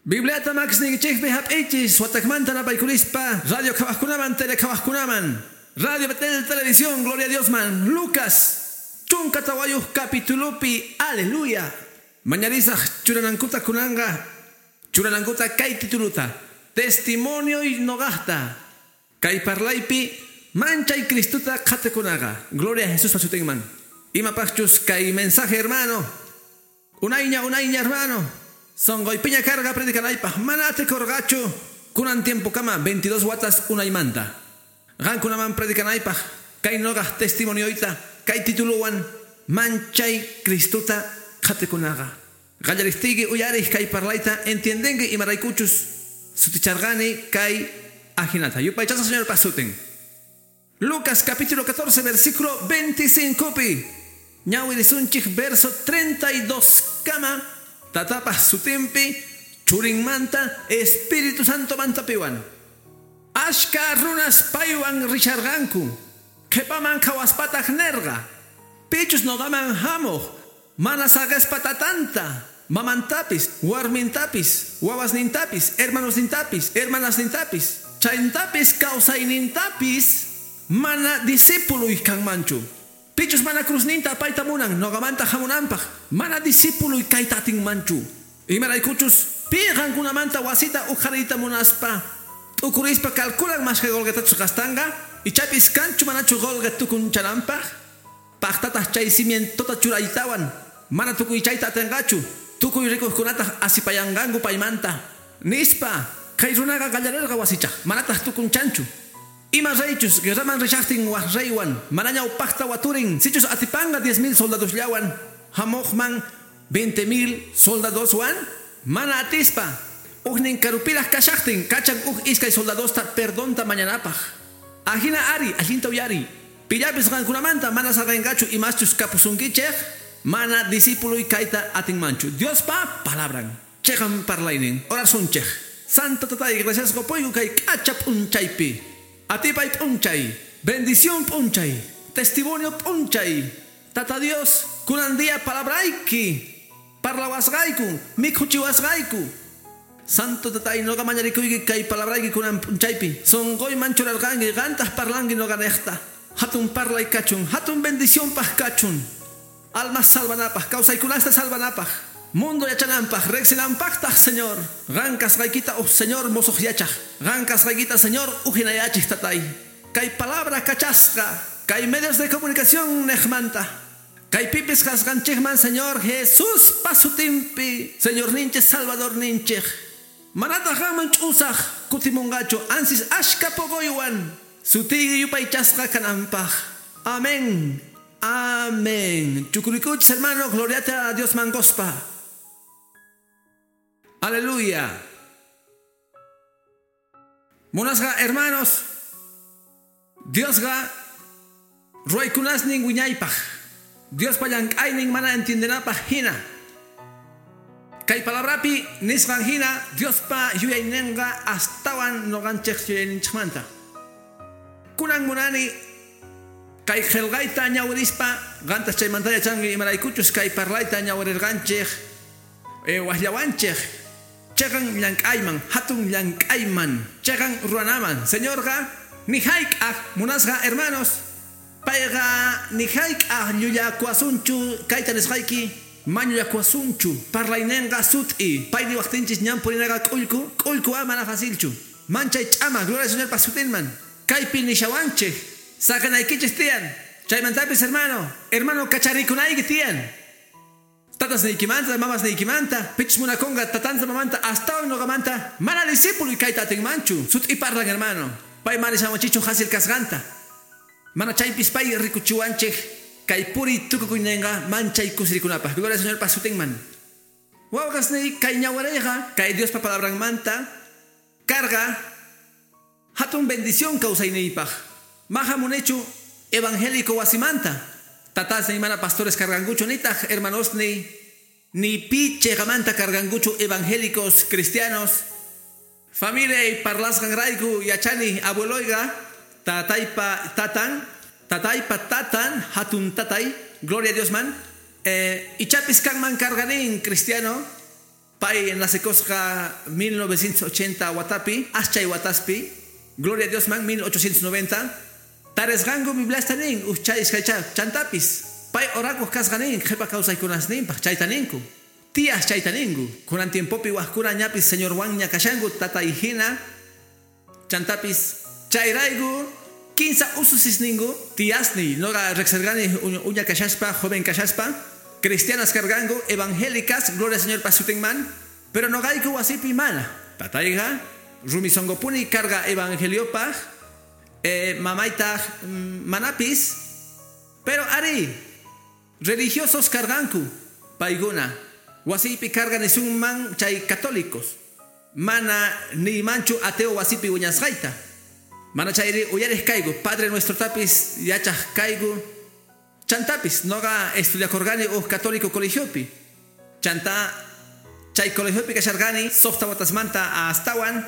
Bibliata makisniykichikpi hap'ichis watakmanta napaykurispa radio qhawaqkunaman tele qhawaqkunaman Radio Betel Televisión, Gloria a Dios man. Lucas 14 capítulopi, aleluya. Mañarisaq churanankuta kunanga, churanankuta kay tituluta, testimonio y nogahta. Kay parlaypi manchay Cristuta qhatikunaqa. Gloria a Jesús pasutinman. Imapaqchus kay mensaje, hermano. Unayña, unayña, hermano. Sonqoypiña carga predicanaypaq mana atikurqachu. Kunan tiempo kama 22 watas unaymanta. Qankunaman predicanaypaq kay noqaq testimonioyta kay tituluwan manchay Cristuta qhatikunaqa. Qallaristiyki uyariq kay parlayta entiendenki imaraykuchus suticharqani kay ajinata. Yupaychasqa Señor pasutin. Lucas capítulo 14 versículo 25 pi. Ñawirisunchik verso 32 kama. Tatapaq sutinpi churinmanta Espíritu Santo mantapiwan. Ashka runas paywan risharqanku. Qhipaman qhawaspataq nerqa. Pichus noqaman hamuq mana saqespa tatanta, mamantapis, warmintapis, wawasnintapis, hermanosnintapis, hermanasnintapis, chayntapis kawsaynintapis mana discípuluy kanmanchu. Pichus mana cruzninta apayta munan noqamanta hamunanpaq mana discípuluy kayta atinmanchu. Imaraykuchus pi qankunamanta wasita uqhariyta munaspa t'ukurispa calculan mashka qolqetachus gastanqa ichapis kanchu manachu qolqe tukunchananpaq paqtataq chay cimientota churaytawan mana tukuy chayta atinqachu tukuy rikuqkunataq asipayanqanku paymanta nispa kay runaqa qallarirqa wasichaq manataq tukunchanchu. Ima reychus guerraman rishaqtin waq reywan manaña upaqta waturin sichus atipanga 10,000 soldadosllawan hamuqman 20,000 soldadoswan mana atispa ujnin karupiraq kashaqtin kachan uj iskay soldadosta perdonta mañanapaq. Ajina ari allinta uyari pillapis qankunamanta mana saqenqachu imaschus kapusunkichej mana discípuluy kayta atinmanchu. Diospa palabran cheqan parlaynin orasunchej. Santo tatay gracias qopuyku kay k'acha p'unchaypi. Atipay p'unchay, bendición p'unchay, testimonio p'unchay. Tata Dios, kunan día palabrayki, parlawasqayku, mikhuchiwasqayku. Santo tatay noqa mañarikuyki kay palabrayki kunan p'unchaypi. Sonqoyman churarqanki qantaq parlanki noqanejta. Hatun parlay kachun, hatun bendición paq kachun. Almas salvanapaq, kawsaykunasta salvanapaq. Mundo yachananpaq, riqsinanpaqtaq, Señor. Qan kasqaykita uj Señor mosoq yachaq. Qan kasqaykita, Señor, ujinayachik tatay. Kay palabra kachasqa, kay medios de comunicación nejmanta. Kay pipis kasqanchikman, Señor Jesús pasutinpi, Señor ninchik, Salvador ninchik. Manataq qanman ch'usaq kutimunqachu ansis ashka poqoywan. Sutiyki yupaychasqa kananpaq. Amén. Amén. Chukurikuchis, hermano, gloriate a Dios mangospa. Aleluya. Munasqa hermanos, Diosqa ruwaykunasnin wiñaypaq. Diospa llank'aynin mana entiendenapaq hina. Kay palabrapi nisqan hina Diospa yuyayninqa astawan noqanchik yuyayninchikmanta. Kunan munani kay qillqayta ñawirispa qantas chaymanta yachanki imaraykuchus kay parlayta ñawirirqanchik waqllawanchik. Cheqan llank'ayman, hatun llank'ayman, cheqan ruwanaman. Señorqa ni hayk'aq munasqa hermanos, payqa ni hayk'aq llullakuwasunchu kayta nisqayki mañullakuwasunchu parlaynenqa sut'i pay niwaqtinchis ñan purinaqa k'ullku k'ullku mana facilchu manchay ch'ama. Gloria al Señor pasutinman. Kaypi nishawanchik saqenaykichis tiyan chaymantapis hermano, hermano kacharikunayki tiyan. Tatas niykimanta, mamas niykimanta, pichus munakunqa tatanta mamanta, astawan noqamanta, mana discípulo kayta atinmanchu. Sut'i parlan, hermano. Pay mana nishawanchikchu hasil kasqanta. Mana chaypis pay rikuchiwanchik kay puri tukukuyninqa manchay kusirikunapaq. Gloria al Señor pasutinman. Wawqasniy kay ñawarayqa kay Diospa palabranmanta carga hatun bendición kawsayniypaq. Maja munechu evangélico wasimanta. Tatasniy mana pastores carganguchu nitaq hermanosniy ni pi cheqamanta carganguchu evangélicos cristianos. Familia y parlasqanrayku yachani abueloyqa tataypa tatan, tataypa tatan, hatun tatay, gloria a Dios man. Ichapis kanman carganin cristiano. Pay nacekosqa 1980 watapi, aschay wataspi, gloria a Dios man 1890. Taresqanku Bibliasta nin, uchay iskaycha chantapis. Pay orakuq kasqa nin, qhipa kawsaykunasninpaq chayta ninku. Tías chayta ninku. Kunan tiempopi wajkuna ñapis Señorwanña kashanku tatay hina. Chantapis chayrayku kinsa ususisninku tiasni noqa riqsirqani uña kashaspa, joven kashaspa, cristianas karqanku, evangélicas, gloria al Señor pasutinman, pero noqayku wasipi mana. Tatayqa rumi sonqopuni karqa evangeliopaq, mamaytaq manapis, pero ari religiosos karqanku paykuna. Wasipi karqa nisunman chay católicos. Mana niymanchu ateo wasipi wiñasqayta. Mana chayri uyariq kayku, Padre Nuestro tapis yachaq kayku. Chantapis noqa estudiakurqani uj católico colegiopi. Chanta chay colegiopi kasharqani suqta watasmanta astawan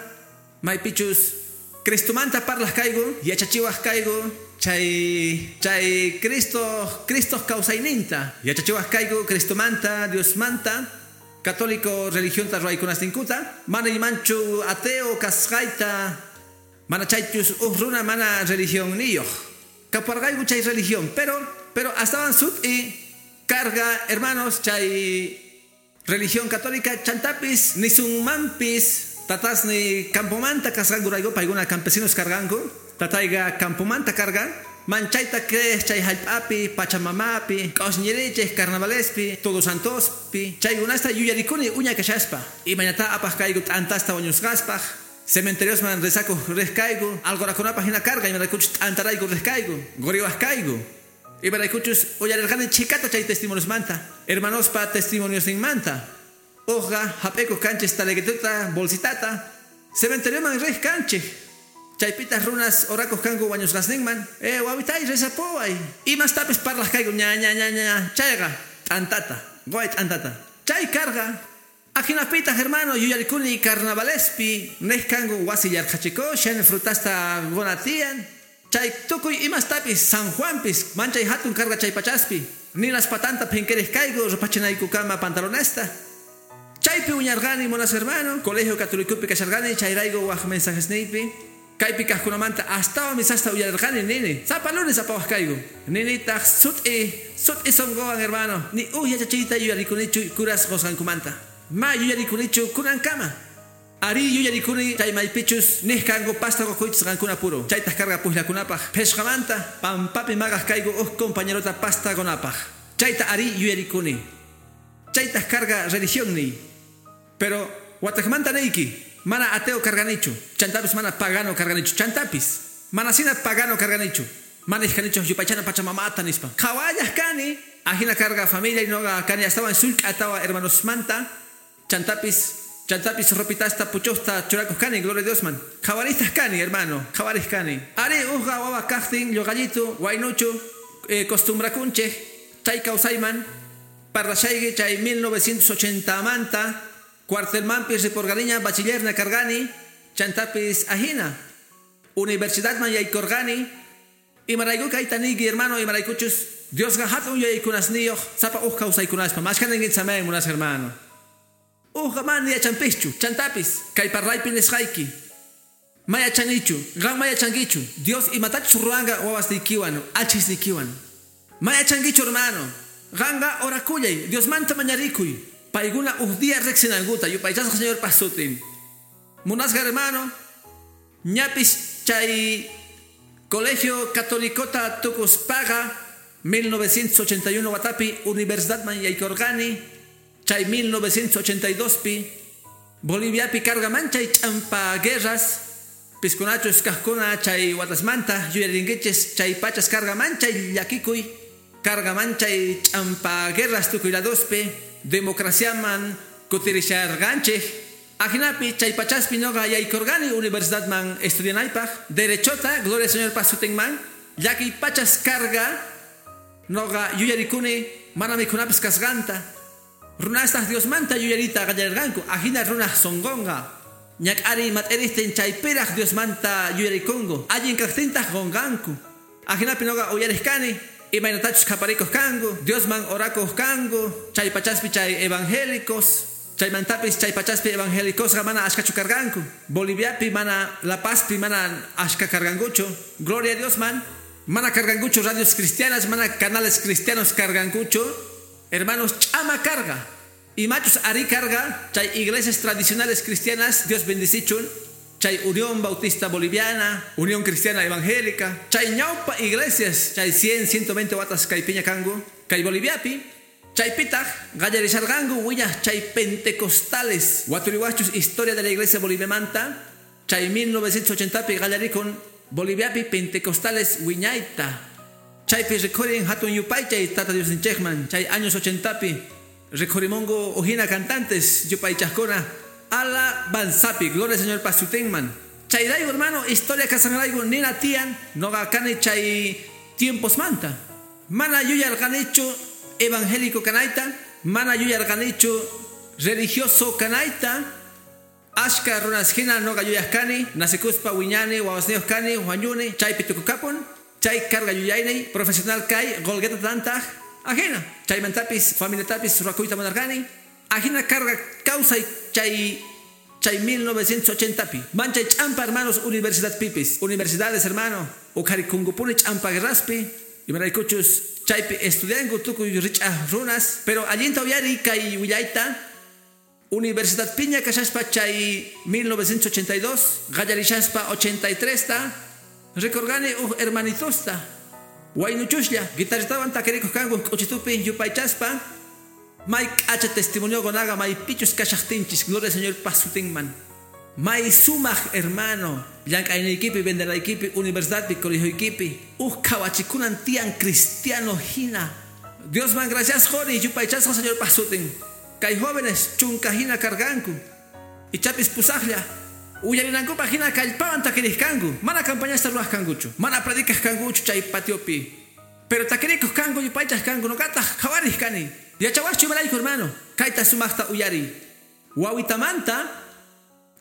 maypichus Cristomanta parlaq kayku, yachachiwaq kayku, chay Cristo kawsayninta, yachachiwaq kayku Cristomanta, Diosmanta, católico religionta ruwaykunasninkuta, mana imanchu ateo kasqayta, mana chaychus uj runa mana religionniyuq. Kaparqayku chay religión, pero astawan sut'i karqa, hermanos, chay religión católica chantapis nisunmanpis tatasni campomanta kasqankurayku paykuna campesinos karqanku, tatayqa campomanta karqa, manchayta crees chay hallp'api, pachamamapi, q'usñirichej carnavalespi, Todos Santospi, chaykunasta yuyarikuni uña kashaspa, imaynata apaq kayku t'antasta wañusqaspaq, cementeriosman rezakuq riq kayku, algorakunapaq hina karqa imaraykuchus t'antarayku riq kayku, quriwaq kayku. Imaraykuchus uyarirqani chhikata chay testimoniosmanta, hermanospa testimoniosninmanta. Uqa hap'ikuq kanchis taleguituta, bolsitata, cementerioman riq kanchik. Chaypitaq runas orakuq kanku wañusqasninman, wawitay rezapuway. Imastapis parlaq kayku ña ña ña ña, chayqa t'antata, quway t'antata. Chay karqa. Ajinapitaq hermano yuyarikuni carnavalespi, niq kanku wasi yarqhachikushan, frutasta quna tiyan. Chay tukuy imastapis San Juanpis, manchay hatun karqa chay pachaspi. Ninas patanta phinkiriq kayku rupachinaykukama pantalonesta. Chaypi wiñarqani monas hermano, colegio católicopi kasharqani, chayrayku waj mensajesniypi. Kaypi kaqkunamanta astawan misasta uyarirqani nini. Sapa lunes apawaq kayku. Ninitaq sut'i sunquwan hermano, ni uj yachachiyta yuyarikunichu kuras qusqankumanta. Ma yuyarikunichu kunankama. Ari yuyarikuni chay maypichus niq kanku pasta qukuychis qankuna puro. Chaytaq karqa pujllakunapaq. Phishqamanta pampapi maqaq kayku uj compañerota pasta qunapaq. Chayta ari yuyarikuni. Chaytaq karqa religión. Pero wataqmanta niyki, mana ateo karqanichu, chantapis mana pagano karqanichu, chantapis mana sina pagano karqanichu, mana ishkanichu yupaychana pachamamata nispa. Qhawallaq kani, ajina karqa familia y noqa kani astawan sullk'a tawa hermanosmanta, chantapis ropitasta puchusta churakuq kani, gloria a Diosman. Qhawaristaq kani, hermano, qhawariq kani. Ari uqa wawa kaqtin lluqallitu, waynuchu, costumbrakunchik, chay kawsayman, parlashayki chay 1980 manta, cuartelmanpis riporqaniña bachillerna karqani, chantapis ajina, universidadman yaykurqani, imarayku kayta niyki hermano, imaraykuchus Diosqa hatun yuyaykunasniyuq sapa uj kawsaykunaspa, mashkha ninkichaman munas hermano. Uqa mana yachanpischu, chantapis kay parlaypi nisqayki. Mayachanichu, qan mayachankichu, Dios imatachus ruwanqa wawasniykiwan, achisniykiwan. Mayachankichu hermano, qanqa orakullay, Diosmanta mañarikuy. Paykuna uj día riqsinankuta, yupaychasqa Señor pasutin. Munasqa hermano, ñapis chay colegio católicota tukuspaqa 1981 watapi universidadman yaykurqani, chay 1982pi Boliviapi karqa manchay ch'ampa guerras, piskunachus kaqkuna chay watasmanta yuyarinkichis chay pachas karqa manchay llakikuy, karqa manchay ch'ampa guerras tukuy ladospi, democraciaman kutirisharqanchik. Ajinapi chay pachaspi noqa yaykurqani universidadman estudianaypaq, derechota, gloria al Señor pasutinman, llakiy pachas karqa, noqa yuyarikuni mana mikhunapis kasqanta. Runastaq Diosmanta yuyarita qallarirqanku, ajina runaq sunqunqa. Ñak'ariy mat'irihtin chaypiraq Diosmanta yuyarikunku, allin kaqtintaq qunqanku. Ajinapi noqa uyariq kani, imaynatachus qhaparikuq kanku, Diosman orakuq kanku, chay pachaspi chay evangélicos. Chaymantapis chay pachaspi evangélicosqa mana ashkachu karqanku. Boliviapi mana, La Pazpi mana ashka karqankuchu. Gloria a Dios man. Mana karqankuchu radios cristianas, mana canales cristianos karqankuchu. Hermanos, ch'ama karqa. Imachus ari karqa, chay iglesias tradicionales cristianas, Dios bendicichun. Chay Unión Bautista Boliviana, Unión Cristiana Evangélica, chay ñawpa iglesias, chay 100, 120 watas kaypiña kanku, kay Boliviapi, chaypitaq qallarisharqanku wiñaq chay pentecostales, waturiwachus historia de la iglesia boliviamanta, chay 1980pi qallarikun Boliviapi pentecostales wiñayta. Chaypi rikhurin hatun yupaychay Tata Diosninchikman, chay años 80pi rikhurimunku ujina cantantes yupaychaqkuna alabanzapi, gloria al Señor pasutinman. Chayrayku hermano, historia kasqanrayku nina tiyan noqa kani chay tiempos manta. Mana yuyarqanichu evangélico kanayta, mana yuyarqanichu religioso kanayta. Ashka runas hina noqa yuyaq kani, nacikuspa wiñani, wawasniyuq kani, wañuni, chaypi tukukapun, chay karqa yuyayniyy, profesional kay, qullqita tantaq, ajina, chaymantapis, familiatapis ruwakuyta munarqani, ajina karqa kawsay chay 1980pi. Manchay ch'ampa hermanos universidadpipis, universidades hermano, uqharikunkupuni ch'ampa guerraspi, imaraykuchus chaypi estudianku tukuy rich'aj runas, pero allinta uyariy kay willayta. Universidad piña kashaspa chay 1982, qallarishaspa 83ta, rikurqani uj hermanitosta, waynuchuslla, guitarritawan takirikuq kanku k'uchitupi yupaychaspa, may k'acha testimonio gonaga may pichus kashaqtinchis, gloria al Señor pasutinman. May sumaq hermano, llank'ayniykipi, vendenaykipi, universidadpi, colegioykipi, uj qhawachikunan tiyan cristiano hina. Diosman gracias quni yupaychasqa Señor pasutin. Kay jóvenes chunka hina karqanku, ichapis pusaqlla, uyarinankupaq hina kallpawan takiriq kanku, mana campañasta ruwaq kankuchu, mana predicaq kankuchu chay patiopi, pero takirikuq kanku, yupaychaq kanku, nuqataq qhawariq kani. Yachawaqchu imarayku hermano, kayta sumaqta uyariy. Wawitamanta,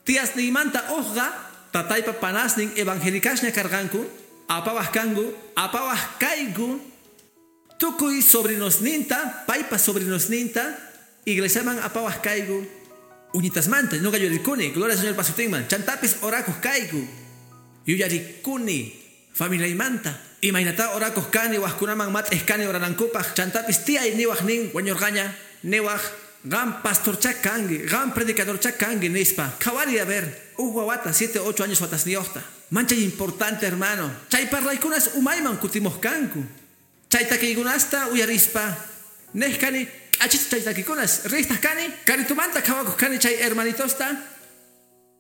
tiasniymanta uqqa, tataypa panasnin evangelicasña karqanku, apawaq kanku, apawaq kayku, tukuy sobrinosninta, paypa sobrinosninta, iglesiaman apawaq kayku, uñitasmanta, nuqa yuyarikuni, gloria al Señor pasutinman, chantapis orakuq kayku, yuyarikuni, familiaymanta, imaynata orakuq kani, waqkunaman mat'iq kani oranankupaq, chantapis tiyay niwaq nin, wañurqaña, niwaq, qam pastorchá kanki, qam predicadorchá kanki nispa, qhawariy a ver, uj wawata 7, 8 años watasniyuqta, manchay importante hermano, chay parlaykunas umayman kutimuq kanku, chay takiykunasta uyarispa, nej kani, k'achita chay takikunas, riqtaq kani, karitumanta qhawakuq kani chay hermanitosta,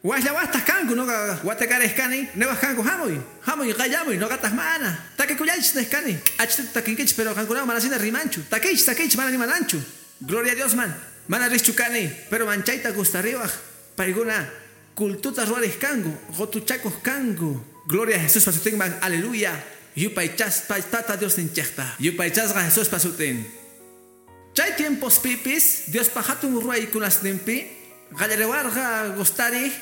waqllawaqtaq kanku, nuqa watakarej kani, niwaq kanku hamuy, hamuy qallamuy, nuqataq mana, takikullaychis nej kani, k'achita takinkichis pero qankunawan mana hina rimanchu, takiychis, takiychis mana nimananchu, gloria a Dios man, mana riqchu kani, pero manchayta gustariwaq, paykuna cultuta ruwariq kanku, qutuchakuq kanku, gloria a Jesús pasutinman, aleluya, yupaychaspa Tata Diosninchikta, yupaychasqa Jesús pasutin. Chay tiempos pipis, Diospa hatun ruwaykunasninpi, qallariwarqa gustariq,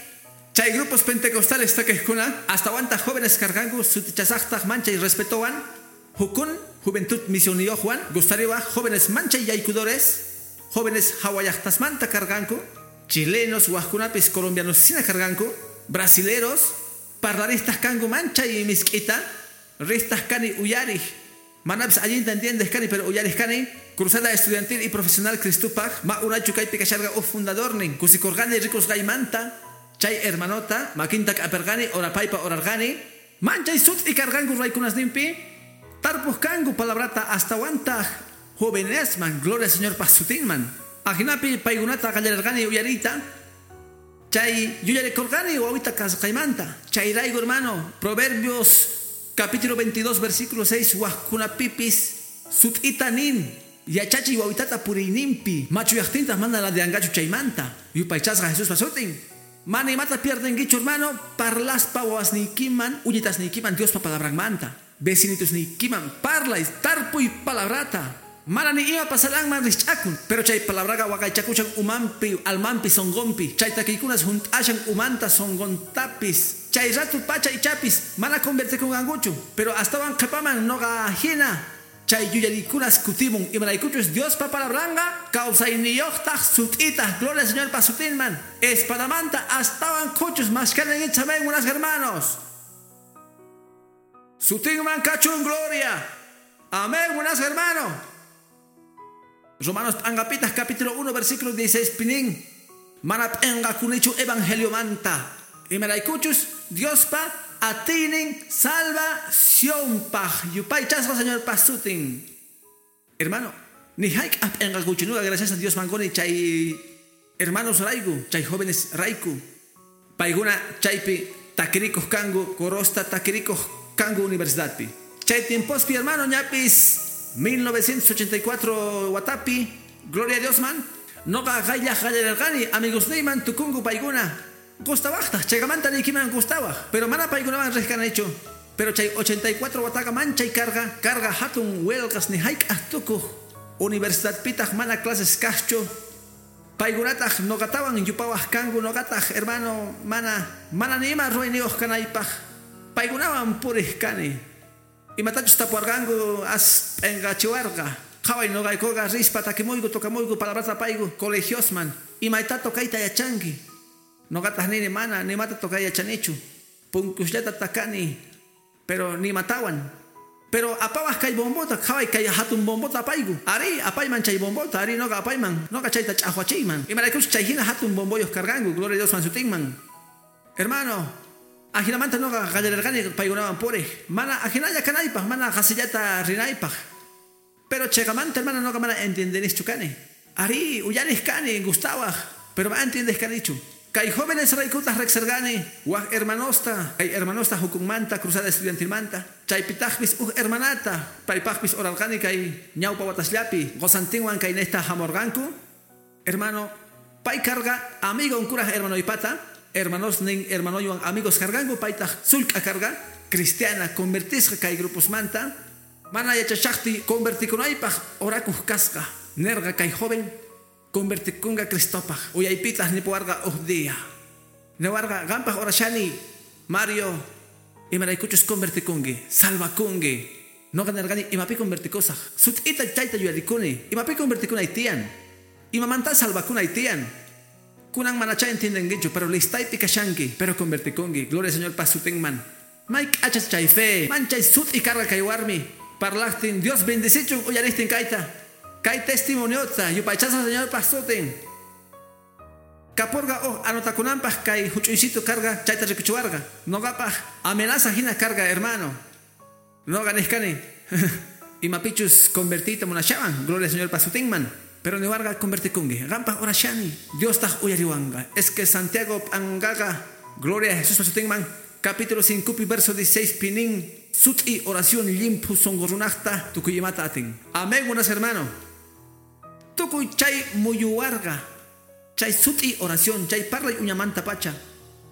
chay grupos pentecostales takiqkuna, astawantaq jóvenes karqanku sutichasaqtaq manchay respetowan, hukun juventud misionniyuqwan, gustariwaq jóvenes manchay yaykudores, jóvenes hawallaqtasmanta karqanku, chilenos, waqkunapis colombianos sina karqanku, brasileros, parlaristas kanku manchay misk'ita, ristas kani uyariq, manapis allinta entiendes kani, pero uyariq kani, cruzada estudiantil y profesional Cristupaq, ma unaychu kaypi kasharqa uj fundadornin, kusikurqani rikusqaymanta, chay hermanota, makinta k'aperqani, orapaypa orarqani, manchay sut'i karqanku ruwaykunasninpi, tarpuq kanku palabrata astawantaq jovenesman, gloria al Señor pasutinman. Ajinapi paykunata qallarirqani uyariyta, chay yuyarikurqani wawita kasqaymanta, chayrayku hermano, Proverbios capítulo 22 versículo 6, waqkunapipis sut'ita nin, yachachiy wawitata puriyninpi, machuyaqtintaq mana ladeanqachu chaymanta, yupaychasqa Jesús pasutin. Mana imata pierdenkichu hermano, parlaspa wawasniykiman, uñitasniykiman Diospa palabranmanta, vecinitusniykiman, parlay, tarpuy palabrata. Mana ni ima pasaranman rich'akun, pero chay palabraqa waqaychakushan umanpi, almanpi, sonqonpi, chay takiykunas hunt'ashan umanta sonqontapis, chay ratu pacha ichapis, mana convertikunqankuchu, pero astawan qhipaman nuqa hina, Chay yuyarikunas kutimun imaraykuchus Diospa palabranga kawsayniyuqtaq sut'itaq, gloria al Señor pa sutinman, espadamanta astawan khuchus mashkanan amén, buenas hermanos. Sutinman kachun gloria. Amén, buenas hermano. Romanos p'anqapitaj capítulo 1 versículo 16 pinin. Mana p'enqakunichu evangelio manta. Imaraykuchus Diospa atiynin salvacionpaj. Yupaychasqa Señor pasutin. Hermano, ni hayk'aj p'enqakuchu nuqa, gracias a Dios mangoni chay hermanos rayku, chay jóvenes rayku. Paykuna chaypi takirikuq kanku, corosta takirikuq kanku universidadpi. Chay tiempospi, hermano, ñapis 1984 watapi, gloria a Dios man, noqa qayllaj qallarirqani amigosniyman tukunku paykuna. Gustawaqtaq, chaykamanta niykiman gustawaq, pero mana paykunaman riq kanichu. Pero chay 84 wataqa manchay karqa, karqa hatun huelgas ni hayk'aj tukuq. Universidadpitaq mana clases kaqchu. Paykunataq noqatawan yupawaq kanku, noqataq, hermano, mana ni ima ruwayniyuq kanaypaq. Paykunawan puriq kani. Imatachus tapuwarqanku as p'enqachiwarqa. Qhaway noqaykuqa rispa takimuyku, tokamuyku, palabrata apayku colegiosman. Imayta tocayta yachanki. Noqataq nini mana nimata tocay yachanichu. Punkusllata takani, pero nimatawan. Pero apawaq kay bombota, qhaway kay hatun bombota apayku. Ari, apayman chay bombota, ari noqa apayman, noqa chayta ch'aqwachiyman. Imaraykuchus chay hina hatun bomboyuq karqanku, gloria a Dios man sutinman. Hermano, ajinamanta noqa qallarirqani paykunawan puriq. Mana ajinalla kanaypaq, mana qasillata rinaypaq. Pero chayqamanta, hermano, noqa mana entiendenischu kani. Ari, uyariq kani, gustawaq, pero mana entiendes kanichu. Kay jóvenes raykutaq riqsirqani, wak hermanosta, kay hermanosta hukunmanta, cruzada estudiantilmanta. Chaypitaqpis uj hermanata, paypaqpis orarqani kay ñawpa watasllapi, qosantinwan kaynejta hamurqanku. Hermano, pay karqa amigo kuraj hermanoypata, hermanosnin hermanoywan amigos karqanku, paytaq sullk'a karqa, cristiana, convertisqa kay gruposmanta. Mana yachashaqti convertikunaypaq orakuq kasqa. Nerqa kay joven convertikunqa Cristopaq. Uyaypitaq nipuwarqa uj día. Niwarqa qampaq orashani, Mario, imaraykuchus convertikunki, salvakunki. Noqa nerqani imapi convertikusaq. Sut'ita chayta yuyarikuni, imapi convertikunay tiyan. Imamanta salvakunay tiyan. Kunan manachá entiendenkichu, pero listaypi kashanki, pero convertikunki. Gloria al Señor pasutinman. May k'achas chay fe, manchay sut'i karqa kay warmi. Parlaqtin, Dios bendicichun uyaristin kayta. Kay testimoniota, yupaychasqa Señor pasutin. Kapurqa uj anotakunanpaq kay huch'uysitu karqa chayta rikuchiwarqa. Noqapaq amenaza hina karqa, hermano. Noqa niqkani imapichus convertiyta munashawan, gloria al Señor pasutinman. Pero niwarqa convertikunki, qampaq orashani, Diostaq uyariwanqa. Es que Santiago p'anqaqa, gloria a Jesús pasutinman, capítulo 5 verso 16 pinin, sut'i oración llimphu sunqu runaqta tukuy imata atin. Amén, buenas hermano. Tukuy chay muyuwarqa, chay sut'i oración, chay parlay uñamanta pacha,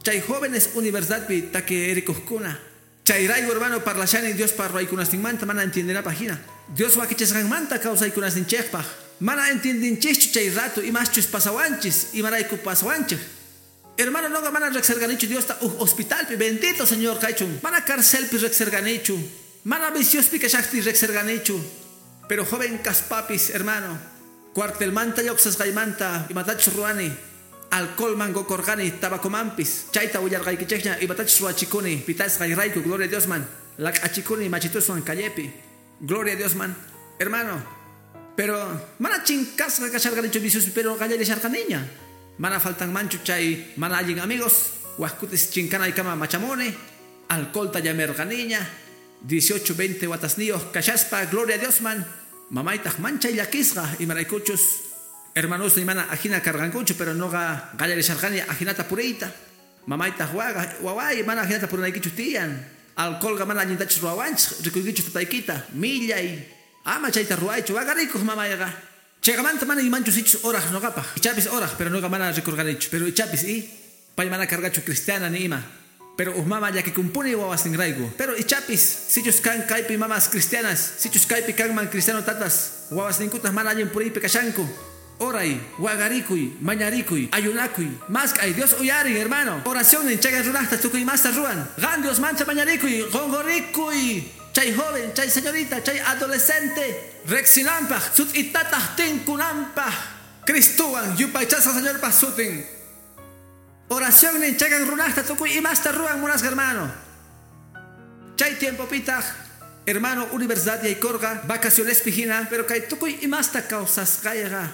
chay jóvenes universidadpi takirikuqkuna. Chay rayku, hermano, parlashani Dios ruwaykunasninmanta mana entiendenapaq hina. Dios wakichisqanmanta kawsaykunasninchikpaq. Mana entiendinchischu chay rato imaschus pasawanchis, imarayku pasawanchik. Hermano, noqa mana riqsirqanichu Diosta uj hospitalpi, bendito Señor kaychun. Mana carcelpi riqsirqanichu, mana viciospi kashaqti riqsirqanichu. Pero joven kaspapis, hermano, cuartelmanta lluqsisqaymanta imatachus ruwani, alcoholman qokorqani, tabacomanpis, chayta willarqaykichikña imatachus ruwachikuni, pitasqayrayku, gloria a Dios man, laq'achikuni machituswan callepi, gloria a Dios man, hermano. Pero mana chinkasqa kasharqanichu viciospi, pero qallarisharqaniña. Mana faltanmanchu chay mana allin amigos, waqkutis chinkanaykama machamuni, alcoholta llamerqaniña, 18, 20 watasniyuq kashaspa, gloria a Dios man. Mamaytaq manchay llakisqa imaraykuchus hermanosniy mana ajina karqankuchu, pero noqa qallarisharqani ajinata puriyta. Mamaytaq waqa, waway mana ajinata purinaykichu tiyan. Alcoholqa mana allintachus ruwawanchik, rikuykichu tataykita, millay, ama chayta ruwaychu, waqarikuq mamayqa. Chayqamanta mana imanchu sichus oraq noqapaq. Ichapis oraq, pero noqa mana rikurqanichu. Pero ichapis y pay mana karqachu cristiana ni ima. Pero uj mama llakikumpuni wawasninrayku. Pero ichapis sichus kan kaypi mamas cristianas, sichus kaypi kanman cristiano tatas, wawasninkutaq mana allin puriypi kashanku. Oray, wagarikuy, mañarikuy, ayunakuy. Mask'ay, Dios uyarin, hermano. Oración chayqa runaqta tukuy imasta ruwan. Qan Dios manta mañarikuy, qonqorikuy. Chay joven, chay señorita, chay adolescente rexinampaj, sut'itataq tinkunampaj. Cristowan yupaychasqa Señorpaj sutin. Oración chegan runasta tukuy imasta ruwan munasqa hermano. Chay tiempopitaq hermano universidad yaykorqa vacaciones pijina, pero kay tukuy imasta kawsasqayqa.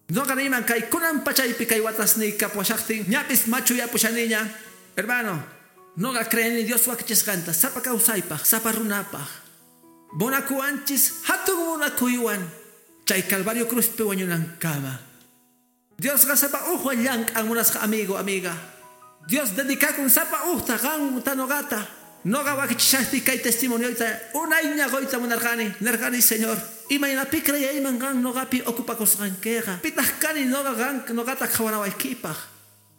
Noqa niyman kay kunan pachaypi kay watasniy kapuwashaqtin ñapis machuyapushaniña. Hermano, noqa creeni Dios wakichisqanta sapa kawsaypaq, sapa runapaq. Munakuwanchis hatun munakuywan chay Calvario cruzpi wañunankama. Diosqa sapa ujwan llank'an munasqa amigo, amiga. Dios dedicakun sapa ujta qanta noqata. Noqa wakichishaqti kay testimonioyta unayña quyta munarqani. Nerqani, Señor, imaynapi creyayman qan noqapi ocupakusqankiqa. Pitaq kani noqa qan noqata qhawanawaykipaq.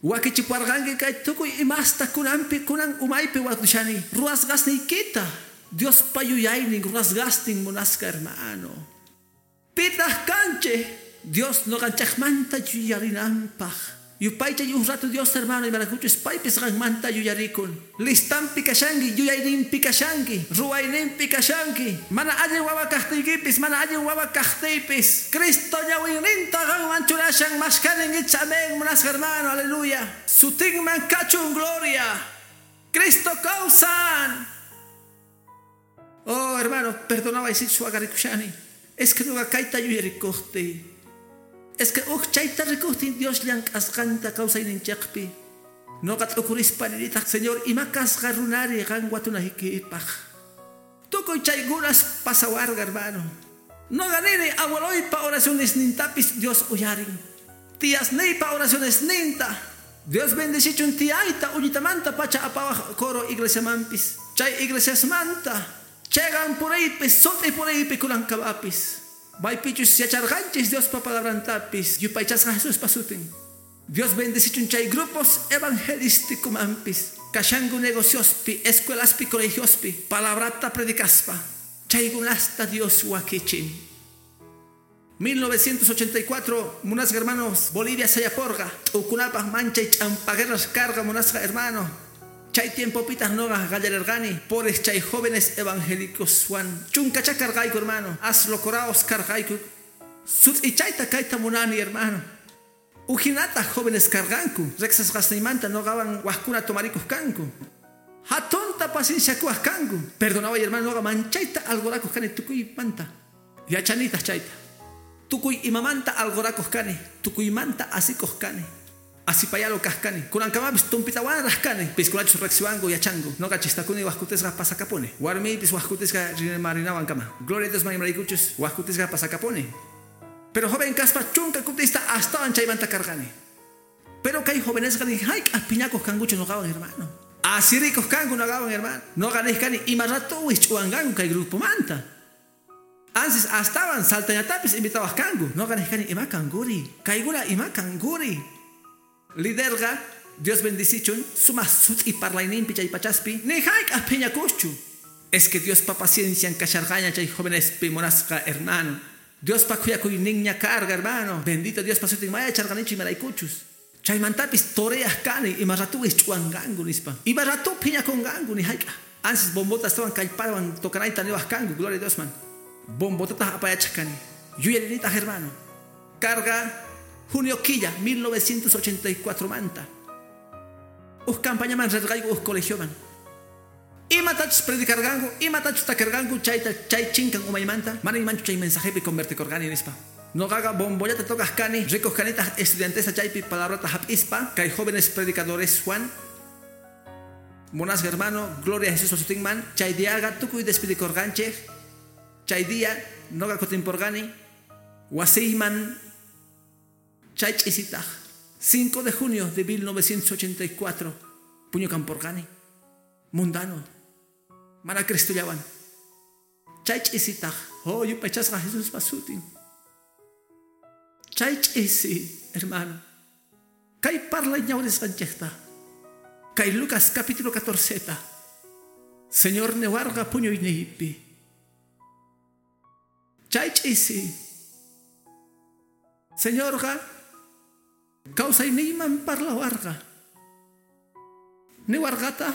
Wakichipuwarqanki kay tukuy imasta kunanpi kunan umaypi watushani. Ruwasqasniykita. Diospa yuyaynin ruwasqastin munasqa hermano. Pitaq kanchik Dios noqanchaqmanta yuyarinanpaq. Yupaychay uj rato Dios hermano imarakuchus paypis qanmanta yuyarikun. Listampi kashanki, yuyayninpi kashanki, ruwayninpi kashanki. Mana allin wawa kaqtiykipis, mana allin wawa kaqtiypis. Cristo ñawinninta qanman churashan mashkanin icha amén munasqa hermano, aleluya. Sutinman kachun gloria. Cristo kawsan. Oh hermano, perdonaway sichus waqarikushani. Es que noqa kayta yuyarikuqtiy. Es que uj chayta rikuqtin Dios llank'asqanta kawsayninchikpi. Noqa t'ukurispa ninitaq, Señor, ima kasqa runari qan watunaykipaq. Tukuy chaykunas pasawarqa, hermano. Noqa nini abueloypa oracionesnintapis Dios uyarin. Tiasniypa oracionesninta. Dios bendecichun tiayta uñitamanta pacha apawaj coro iglesiamanpis. Chay iglesiasmanta. Chegan puriypis, sut'i puriypi kunankawapis. Maypichus yacharqanchis Diospa palabrantapis, yupaychasqa Jesuspa sutin. Dios bendecichun chay grupos evangelísticomanpis, kashanku negociospi, escuelaspi, colegiospi, palabrata predicaspa. Chaykunasta Dios wakichin. 1984, munasqa hermanos, Bolivia sayaporqa, t'ukunapaq manchay ch'ampaguerras karqa munasqa hermano. Chay tiempopitaq noqa qallarerqani pores chay jóvenes evangélicos wan chunkacha karqayku hermano, aslocoraos karqayku. Sut'ichayta kayta munani hermano. Ujinataq jóvenes karqanku, riqsisqasniymanta noqawan wajkuna tomarikuq kanku. Hatunta pacienciakuwaq kanku. Perdonaway hermano, noqa manchayta algorakuq kani tukuymanta. Yachanitaq chayta. Tukuy imamanta algorakuq kani, tukuymanta asikuq kani. Asipayalo kaqkani. Kunankamapis tumpitawanraq kani. Piskunachus riqsiwanku yachanku. Noqa chistakuni wajkutisqa pasakapuni. Warmiypis wajkutisqa rimarinawan kama. Gloria a Dios imaraykuchus wajkutisqa pasakapuni. Pero joven kaspa chunka kutista astawan chaymanta karqani. Pero kay jovenesqa ni hayk'aq piñakuq kankuchu noqawan hermano. Asirikuq kanku noqawan hermano. Noqa niq kani ima rato wisch'uwanqanku kay grupomanta. Ansis astawan saltañatapis invitawaq kanku. Noqa niq kani ima kankuri. Kaykuna ima kankuri. Liderqa Dios bendicichun sumaq sut'i parlayninpi chay pachaspi ni hayk'aq phiñakuschu. Es que Diospa paciencian kasharqaña chay jovenespi munasqa hermano. Diospa khuyakuyninña karqa hermano. Bendito Diospa sutin maya charqanichu imaraykuchus. Chaymantapis toreaq kani ima ratu wisch'uwanqanku nispa. Ima ratu phiñakunqanku ni hayk'aq. Ansis bombota astawan kallpawan tocanayta niwaq kanku, gloria a Diosman. Bombotataq apayachaq kani. Yuyarinitaq hermano. Karqa junio quilla 1984 manta. Uj campañaman rirqayku uj colegioman. Imatachus predicarqanku, imatachus takarqanku chayta chay chinkan umaymanta, mana imanchu chay mensajepi convertikorqani nispa. Noqaqa bombollata tocaq kani, rikuq kanitaq estudiantesta chaypi palabrata hap'ispa, kay jóvenes predicadores Juan. Munasqa hermano, gloria a Jesús sutinman, chay diaqa tukuy despidikorqanchik. Chay día noqa kutinporqani wasiyman. Chay ch'isitaq 5 de junio de 1984 puñukamporqani mundano mana Cristollawan. Chay ch'isitaq oh yupaychasqa Jesuspa sutin. Chay ch'isi hermano kay parlay ñawrisqanchikta kay Lucas capítulo 14 ta Señor newarqa puñuyniypi. Chay ch'isi Señorqa kawsayniyman parlawarqa. Niwarqata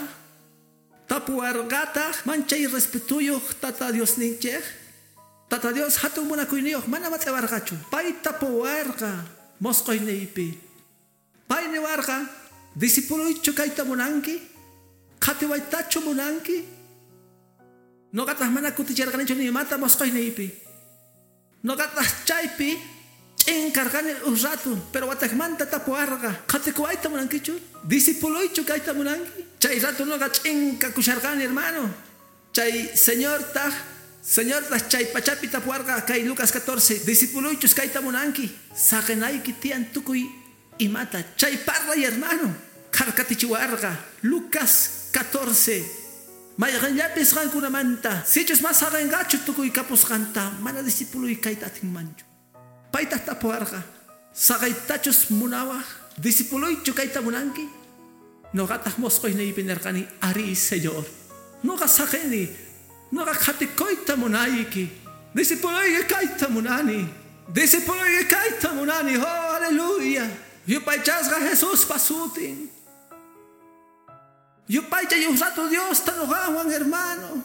Tapuwarqataq manchay respetuyuq Tata Diosninchik. Tata Dios hatun munakuyniyuq mana mat'iwarqachu. Pay tapuwarqa mosqoyniypi. Pay niwarqa discipuluychu kayta munanki? Qhatiwaytachu munanki? Noqataq mana kutichirqanichu ni imata mosqoyniypi. Noqataq chaypi ch'in karqani uj ratu, pero wataqmanta tapuwarqa qhatikuwayta munankichu? Discipuluychu kayta munanki? Chay rato noqa ch'in kakusharqani, hermano. Chay Señortaq chay pachapi tapuwarqa kay Lucas 14, discipuluychus kayta munanki? Saqinayki tiyan tukuy imata. Chay parlay, hermano. Kharkatichiwarqa Lucas 14. Mayqanllapis qankunamanta sichus mas saqinqachu tukuy kapusqanta mana discipuluy kayta atinmanchu. Paytaq tapuwarqa saqaytachus munawaq discipuluychu kayta munanki? Noqataq mosqoyniypi nirqani ari, Señor. Noqa saqini, noqa qhatikuyta munayki. Discipuluyki kayta munani. Discipuluyki kayta munani. Oh, aleluya. Yupaychasqa Jesuspa sutin. Yupaychay uj rato Diosta noqawan, hermano.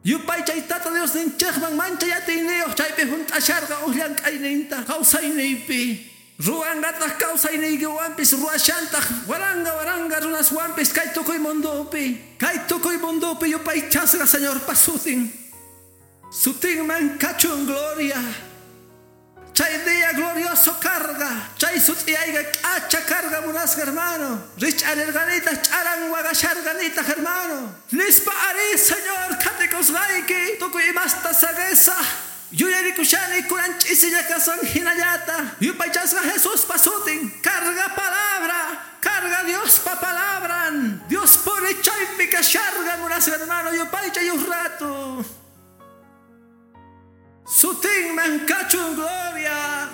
Yupaychay Tata Diosninchikman manchay atiyniyuq chaypi hunt'asharqa uj llank'ayninta kawsayniypi. Ruwanqataq kawsayniykiwanpis ruwashantaq waranga waranga runaswanpis kay tukuy mundupi. Kay tukuy mundupi yupaychasqa Señorpa sutin. Sutinman kachun gloria. Chay día glorioso carga. Chay sut'iyayqa k'acha carga munasqa, hermano. Rich'arirqanitaq ch'aran waqasharqanitaq, hermano. Nispa ari, Señor, qhatikusqayki tukuy imasta saqisaq. Yuyarikushani kunan ch'isilla kasan hinallata. Yupaychasqa Jesuspa sutin. Carga palabra. Carga Diospa palabran. Dios pone chaypi kasharqa munasqa, hermano. Yupaychay uj rato. Sutinman kachun gloria.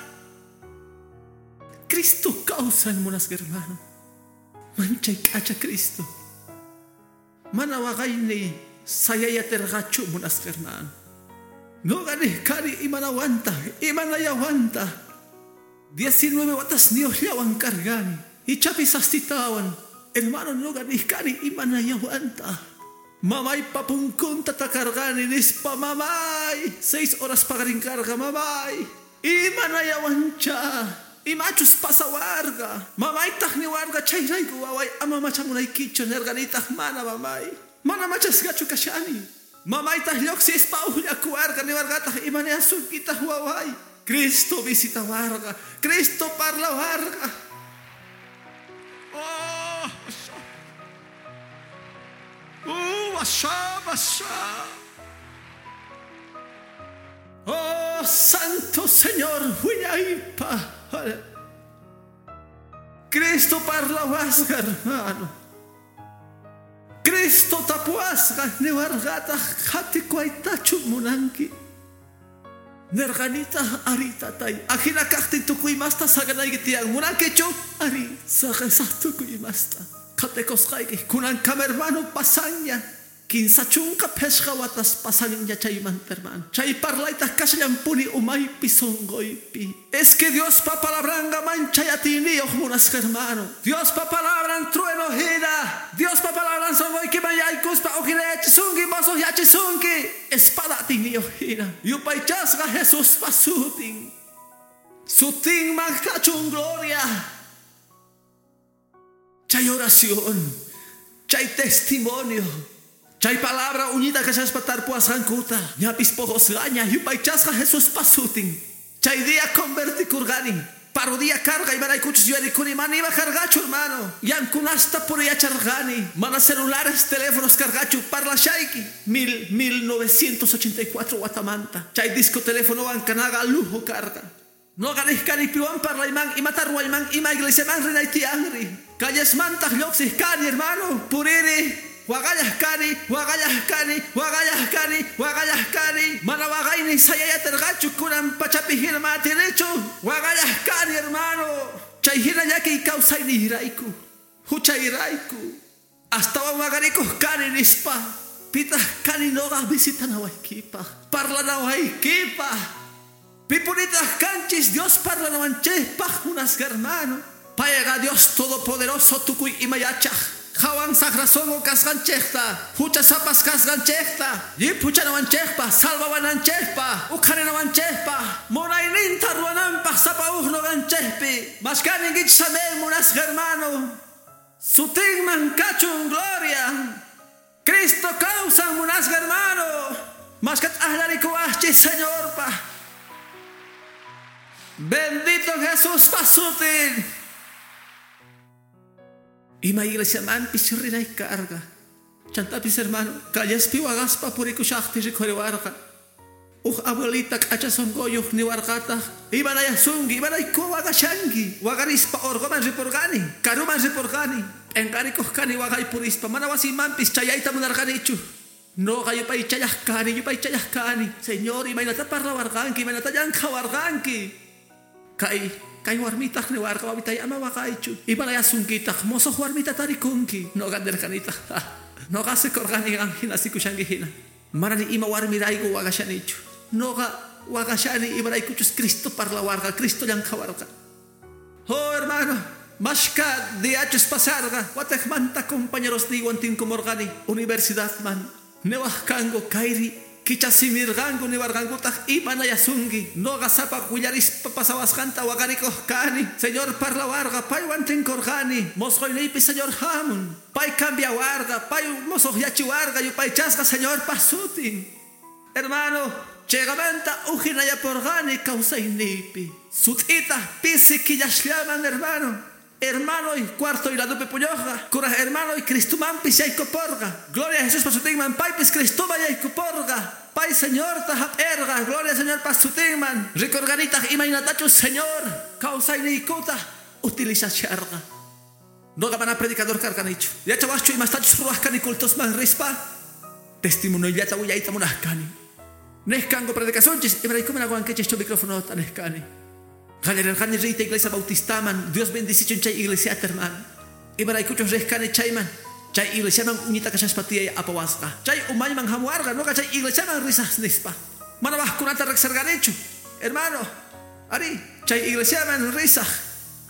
Cristo kawsan munasqa, hermano. Manchay k'acha Cristo. Mana waqayniy sayayatirqachu munasqa, hermano. Noqa nijkani imanawanta, imanayawanta. 19 watasniyuqllawan karqani. Ichapis astitawan. Hermano, noqa nijkani imanayawanta. Mamaypa punkunta takarqani nispa mamay. 6 horas paqarin karqa mamay. Imanayawancha. Imachus pasawarqa. Mamaytaq niwarqa chayrayku waway ama machamunaykichu nirqanitaq mana mamay. Mana machasqachu kashani. Mamaytaq lluqsispa uqllakuwarqa niwarqataq imanayasunkitaq waway. Cristo visitawarqa. Cristo parlawarqa. Oh, asha, asha. Oh, Santo Señor, wiñaypa. Cristo parlawasqa, hermano. Cristo tapuwasqa niwarqataq qhatikuwaytachu munanki. Nirqanitaq ari tatay. Ajina kaqtin tukuy imasta saqinayki tiyan. Munankichu? Ari, saqisaq tukuy imasta. Qhatikusqayki kunankama, hermano, pasanña. Kinsa chunka phishqa watas pasanña chaymanta, hermano. Chay parlaytaq kashallampuni umaypi sunquypi. Es que Diospa palabranqa manchay atiyniyuq munasqa, hermano. Diospa palabran trueno hina. Diospa palabran sunquykiman yaykuspa uqinayachisunki mosuqyachisunki. Espada atiyniyuq hina. Yupaychasqa Jesuspa sutin. Sutinman kachun gloria. Chay oración, chay testimonio, chay palabra uñita kashaspa tarpuwasqankuta. Ñapis poqosqaña yupaychasqa Jesuspa sutin. Chay día convertikurqani. Parodia carga imaraykuchus yuyarikuni mana ima karqachu, hermano. Yankunasta puriyacharqani. Mana celulares, teléfonos karqachu parlashayki. 1984 watamanta. Chay disco teléfonowan kanaqa lujo karqa. Noqa nijkani piwan parlayman, imata ruwayman, ima iglesiaman rinay tiyanri. Callesmantaq lluqsiq kani, hermano. Puriri. Waqallaq kani, waqallaq kani, waqallaq kani, waqallaq kani. Mana waqayni sayayatirqachu kunan pachapi hina mana atinichu. Waqallaq kani, hermano. Chay hina llakiy kawsaynirayku, huchayrayku. Astawan waqarikuq kani nispa. Pitaq kani noqa visitanawaykipaq, parlanawaykipaq. Pipunitaq kanchis Dios parlanawanchikpaq munasqa, hermano. Payqa Dios Todopoderoso tukuy ima yachaq. Qhawan saqra sunqu kasqanchikta, huchasapas kasqanchikta, llip huchanawanchikpaq, salvawananchikpaq, uqharinawanchikpaq, munayninta ruwananpaq sapa uj nuqanchikpi. Mashkaninkichis amén, munasqa hermano. Sutinman kachun gloria. Cristo kawsan munasqa hermano. Mashkat aklarikuwaqchis Señorpa. Bendito Jesús pasutin. Ima iglesiamanpis rinay karqa. Chantapis hermano, callaspi waqaspa purikushaqti rikhuriwarqa. Uj abuelita k'acha sunquyuq niwarqataq, imanayasunki, imarayku waqashanki. Waqarispa urquman ripurqani, karuman ripurqani. P'inqarikuq kani waqay purispa, mana wasiymanpis chayayta munarqanichu. Noqa yupaychallaq kani, yupaychallaq kani. Señor, imaynata parlawarqanki, imaynata llank'awarqanki. Kay warmitaq niwarqa, wawitay ama waqaychu. Imanayasunkitaq, musuq warmita tarikunki. Noqa nirqanitaq, noqa sikurqani qan hina sikushanki hina. Mana ni ima warmirayku waqashanichu. Noqa waqashani imaraykuchus Cristo parlawarqa, Cristo llank'awarqa. Oh, hermano, mashka diachus pasarqa, wataqmanta compañeros niywan tinkumurqani universidadman. Niwaq kanku kayri kichasimirqanku niwarqankutaq imanayasunki. Noqa sapa willarispa pasawasqanta waqarikuq kani. Señor parlawarqa, paywan tinkurqani. Mosqoyniypi Señor hamun. Pay cambiawarqa, pay musuqyachiwarqa, yupaychasqa Señorpa sutin. Hermano, chayqamanta ujinayapurqani kawsayniypi. Sut'ita pisi killasllaman, hermano. Hermano y cuarto y ladupi puñuqqa. Kuraq hermano y Cristomanpis yaykuporqa. Gloria a Jesús pasutinman, paypis Cristoman yaykuporqa. Pay Señorta hap'erqa. Gloria al Señor pasutinman. Rikurqanitaq imaynatachus Señor kawsayniykuta utilizasharqa. Noqa mana predicador karqanichu. Yachawaqchu imastachus ruwaq kani cultosman rispa. Testimoniollata willayta munaq kani. Nej kanku predicacionchis, imarayku mana qowankichikchu microfonota nej kani. Qallarirqani riyta iglesia bautistaman. Dios bendicichun chay iglesiata, hermano. Imaraykuchus riq kani chayman. Chay iglesiaman uñita kashaspa tiyay apawasqa. Chay umayman hamuwarqa, noqa chay iglesiaman risaq nispa. Mana waqkunata riqsirqanichu. Hermano, ari, chay iglesiaman risaq.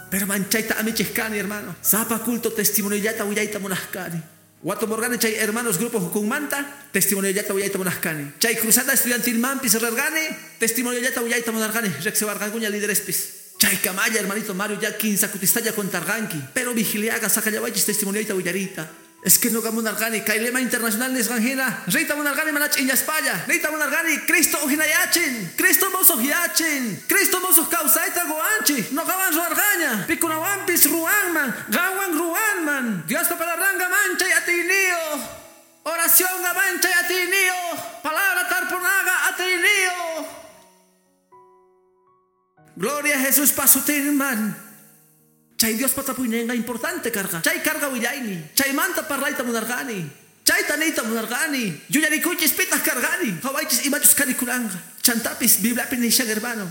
Pero manchayta amichik kani, hermano. Sapa culto testimoniollata willayta munaq kani. Watumurqani chay hermanos grupo hukunmanta, testimoniollata willayta munaq kani. Chay cruzada estudiantilmanpis rirqani, testimoniollata willayta munarqani, riqsiwarqankuña liderespis. Chay kamalla, hermanito Mario, ya kinsa kutistalla contarqanki. Pero vigiliaga saqallawaychis testimoniollata willariyta. Es que noqa munarqani, kay lema internacional nisqan hina, riyta munarqani mana ch'illaspalla, riyta munarqani Cristo ujinayachin, Cristo musuqyachin, Cristo musuq kawsayta quwanchik, noqawan ruwarqaña, pikunawanpis ruwanman, qanwan ruwanman. Diospa palabranqa manchay atiyniyuq, oracionqa manchay atiyniyuq, palabra tarpunaqa atiyniyuq. Gloria a Jesús pasutinman. Chay Diospa tapuyninqa importante karqa. Chay karqa willayni. Chaymanta parlayta munarqani. Chayta niyta munarqani. Yuyarikuychis pitaq karqani. Qhawaychis imachus karikuranqa. Chantapis Bibliapi nishan, hermano.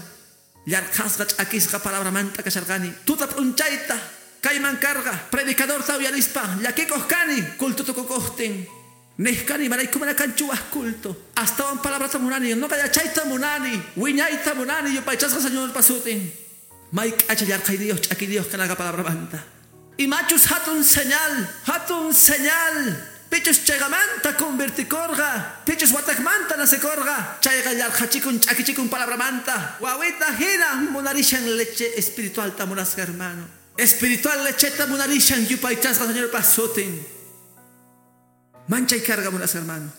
Yarqhasqa ch'akisqa palabramanta kasharqani. Tuta p'unchayta kayman karqa. Predicadorta uyarispa llakikuq kani culto tukukuqtin. Nej kani imarayku mana kanchu waq culto. Astawan palabrata munani, noqa yachayta munani, wiñayta munani yupaychasqa Señorpa sutin. May k'acha yarqhayniyuq ch'akiniyuq kanaqa palabramanta. Imachus hatun señal, hatun señal. Pichus chayqamanta convertikurqa, pichus wataqmanta nacekurqa. Chayqa yarqhachikun ch'akichikun palabramanta. Wawita hina munarishan leche espiritualta munasqa, hermano. Espiritual lecheta munarishan yupaychasqa Señorpa sutin. Manchay karqa munasqa, hermano.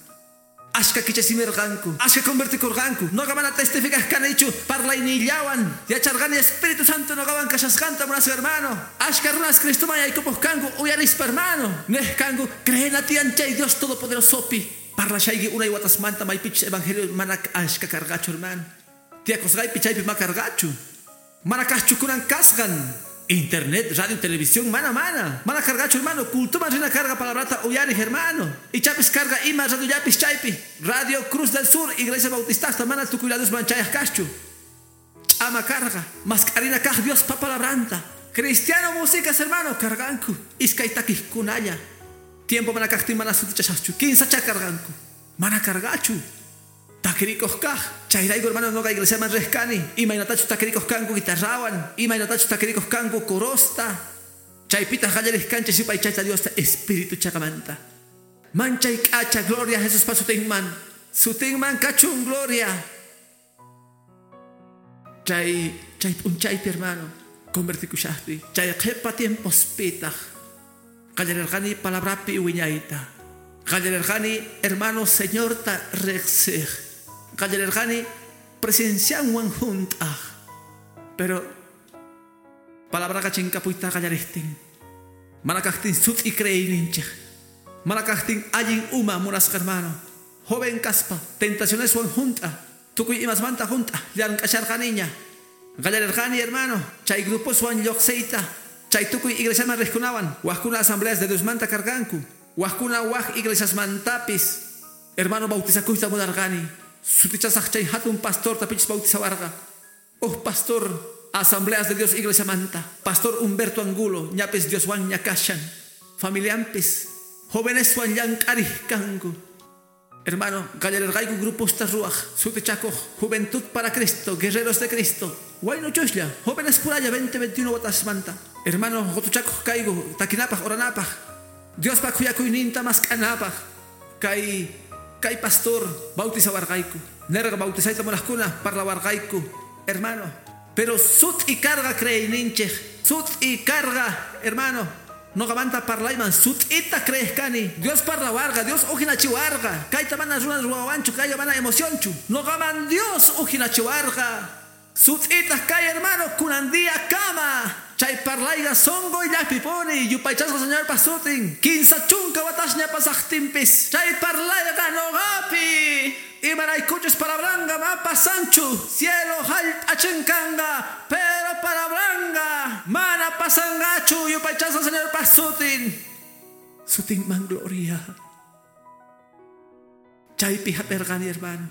Ashka kichasimirqanku, ashka convertikurqanku. Noqa mana testifikaq kanichu parlaynillawan. Yacharqani Espíritu Santo noqawan kashasqanta munasqa, hermano. Ashka runas Cristoman yaykupuq kanku uyarispa, hermano. Nej kanku creena tiyan chay Dios Todopoderosopi. Parlashayki unay watasmanta maypichus evangelio mana ashka karqachu, hermano. Tiyakusqaypi chaypi ma karqachu. Mana kaqchu kunan kasqan. Internet, radio, televisión, mana, mana. Mana karqachu, hermano. Cultuman rina karqa palabrata uyariq, hermano. Ichapis karqa ima radio llapis chaypi. Radio Cruz del Sur, Iglesia Bautistasta, mana tukuyladusman chayaq kaschu. Ch'ama karqa. Maskarina kaq Diospa palabranta. Cristiano músicas, hermano, karqanku. Iskay takiqkunalla. Tiempo mana kaqtin mana sutichashaqchu. Kinsacha karqanku. Mana karqachu. Takirikuq kaq. Chayrayku, hermano, noqa iglesiaman riq kani. Imaynatachus takirikuq kanku guitarrawan. Imaynatachus takirikuq kanku corosta. Chaypitaq qallariq kanchis yupaychayta Diosta espíritu chaqamanta. Manchay k'acha gloria Jesuspa sutinman. Sutinman kachun gloria. Chay chay p'unchaypi hermano convertikushaqpi chay qhipa tiempospitaq qallarirqani palabrapi wiñayta. Qallarirqani hermano Señorta riqsiq. Qallarirqani presencianwan junt'aq. Pero palabraqa chinkapuyta qallariqtin. Mana kaqtin sut'i creeyninchik. Mana kaqtin allin uma munasqa hermano. Joven kaspa tentacioneswan junt'a. Tukuy imasmanta junt'a llank'asharqaniña. Qallarirqani hermano chay gruposwan lluqsiyta. Chay tukuy iglesiaman riqkunawan waqkuna asambleas de Diosmanta karqanku. Waqkuna waq iglesiasmantapis. Hermano bautizakuyta munarqani. Sutichasaq chay hatun pastorta pichis bautizawarqa. Uj pastor asambleas de Dios iglesiamanta. Pastor Humberto Angulo ñapis Dioswan ña kashan. Familiampis jóveneswan llank'ariq kanku. Hermano, qallarirqayku gruposta ruwaq, sutichakuq, Juventud para Cristo, Guerreros de Cristo. Waynuchuslla, jóvenes puralla 20, 21 watasmanta. Hermano, qutuchakuq kayku, takinapaq, oranapaq. Diospa khuyakuyninta mask'anapaq. Kay kay pastor bautizawarqayku. Nerqa bautizayta munaqkuna parlawarqayku. Hermano, pero sut'i karqa creeyninchik. Sut'i karqa, hermano. Noqamanta parlayman sut'ita creeq kani. Dios parlawarqa, Dios ujinachiwarqa. Kayta mana runa ruwawanchu, kayqa mana emocionchu. Noqaman Dios ujinachiwarqa. Sut'ita kay hermano kunan día kama. Chay parlayqa sunquyllapipuni yupaychasqa Señorpa sutin. 30 watasña pasaqtinpis. Chay parlayqa noqapi. Imaraykuchus palabranqa ma pasanchu. Cielo hallp'a chinkanqa, pero palabranqa mana pasanqachu yupaychasqa Señorpa sutin. Sutinman gloria. Chaypi hap'irqani hermano.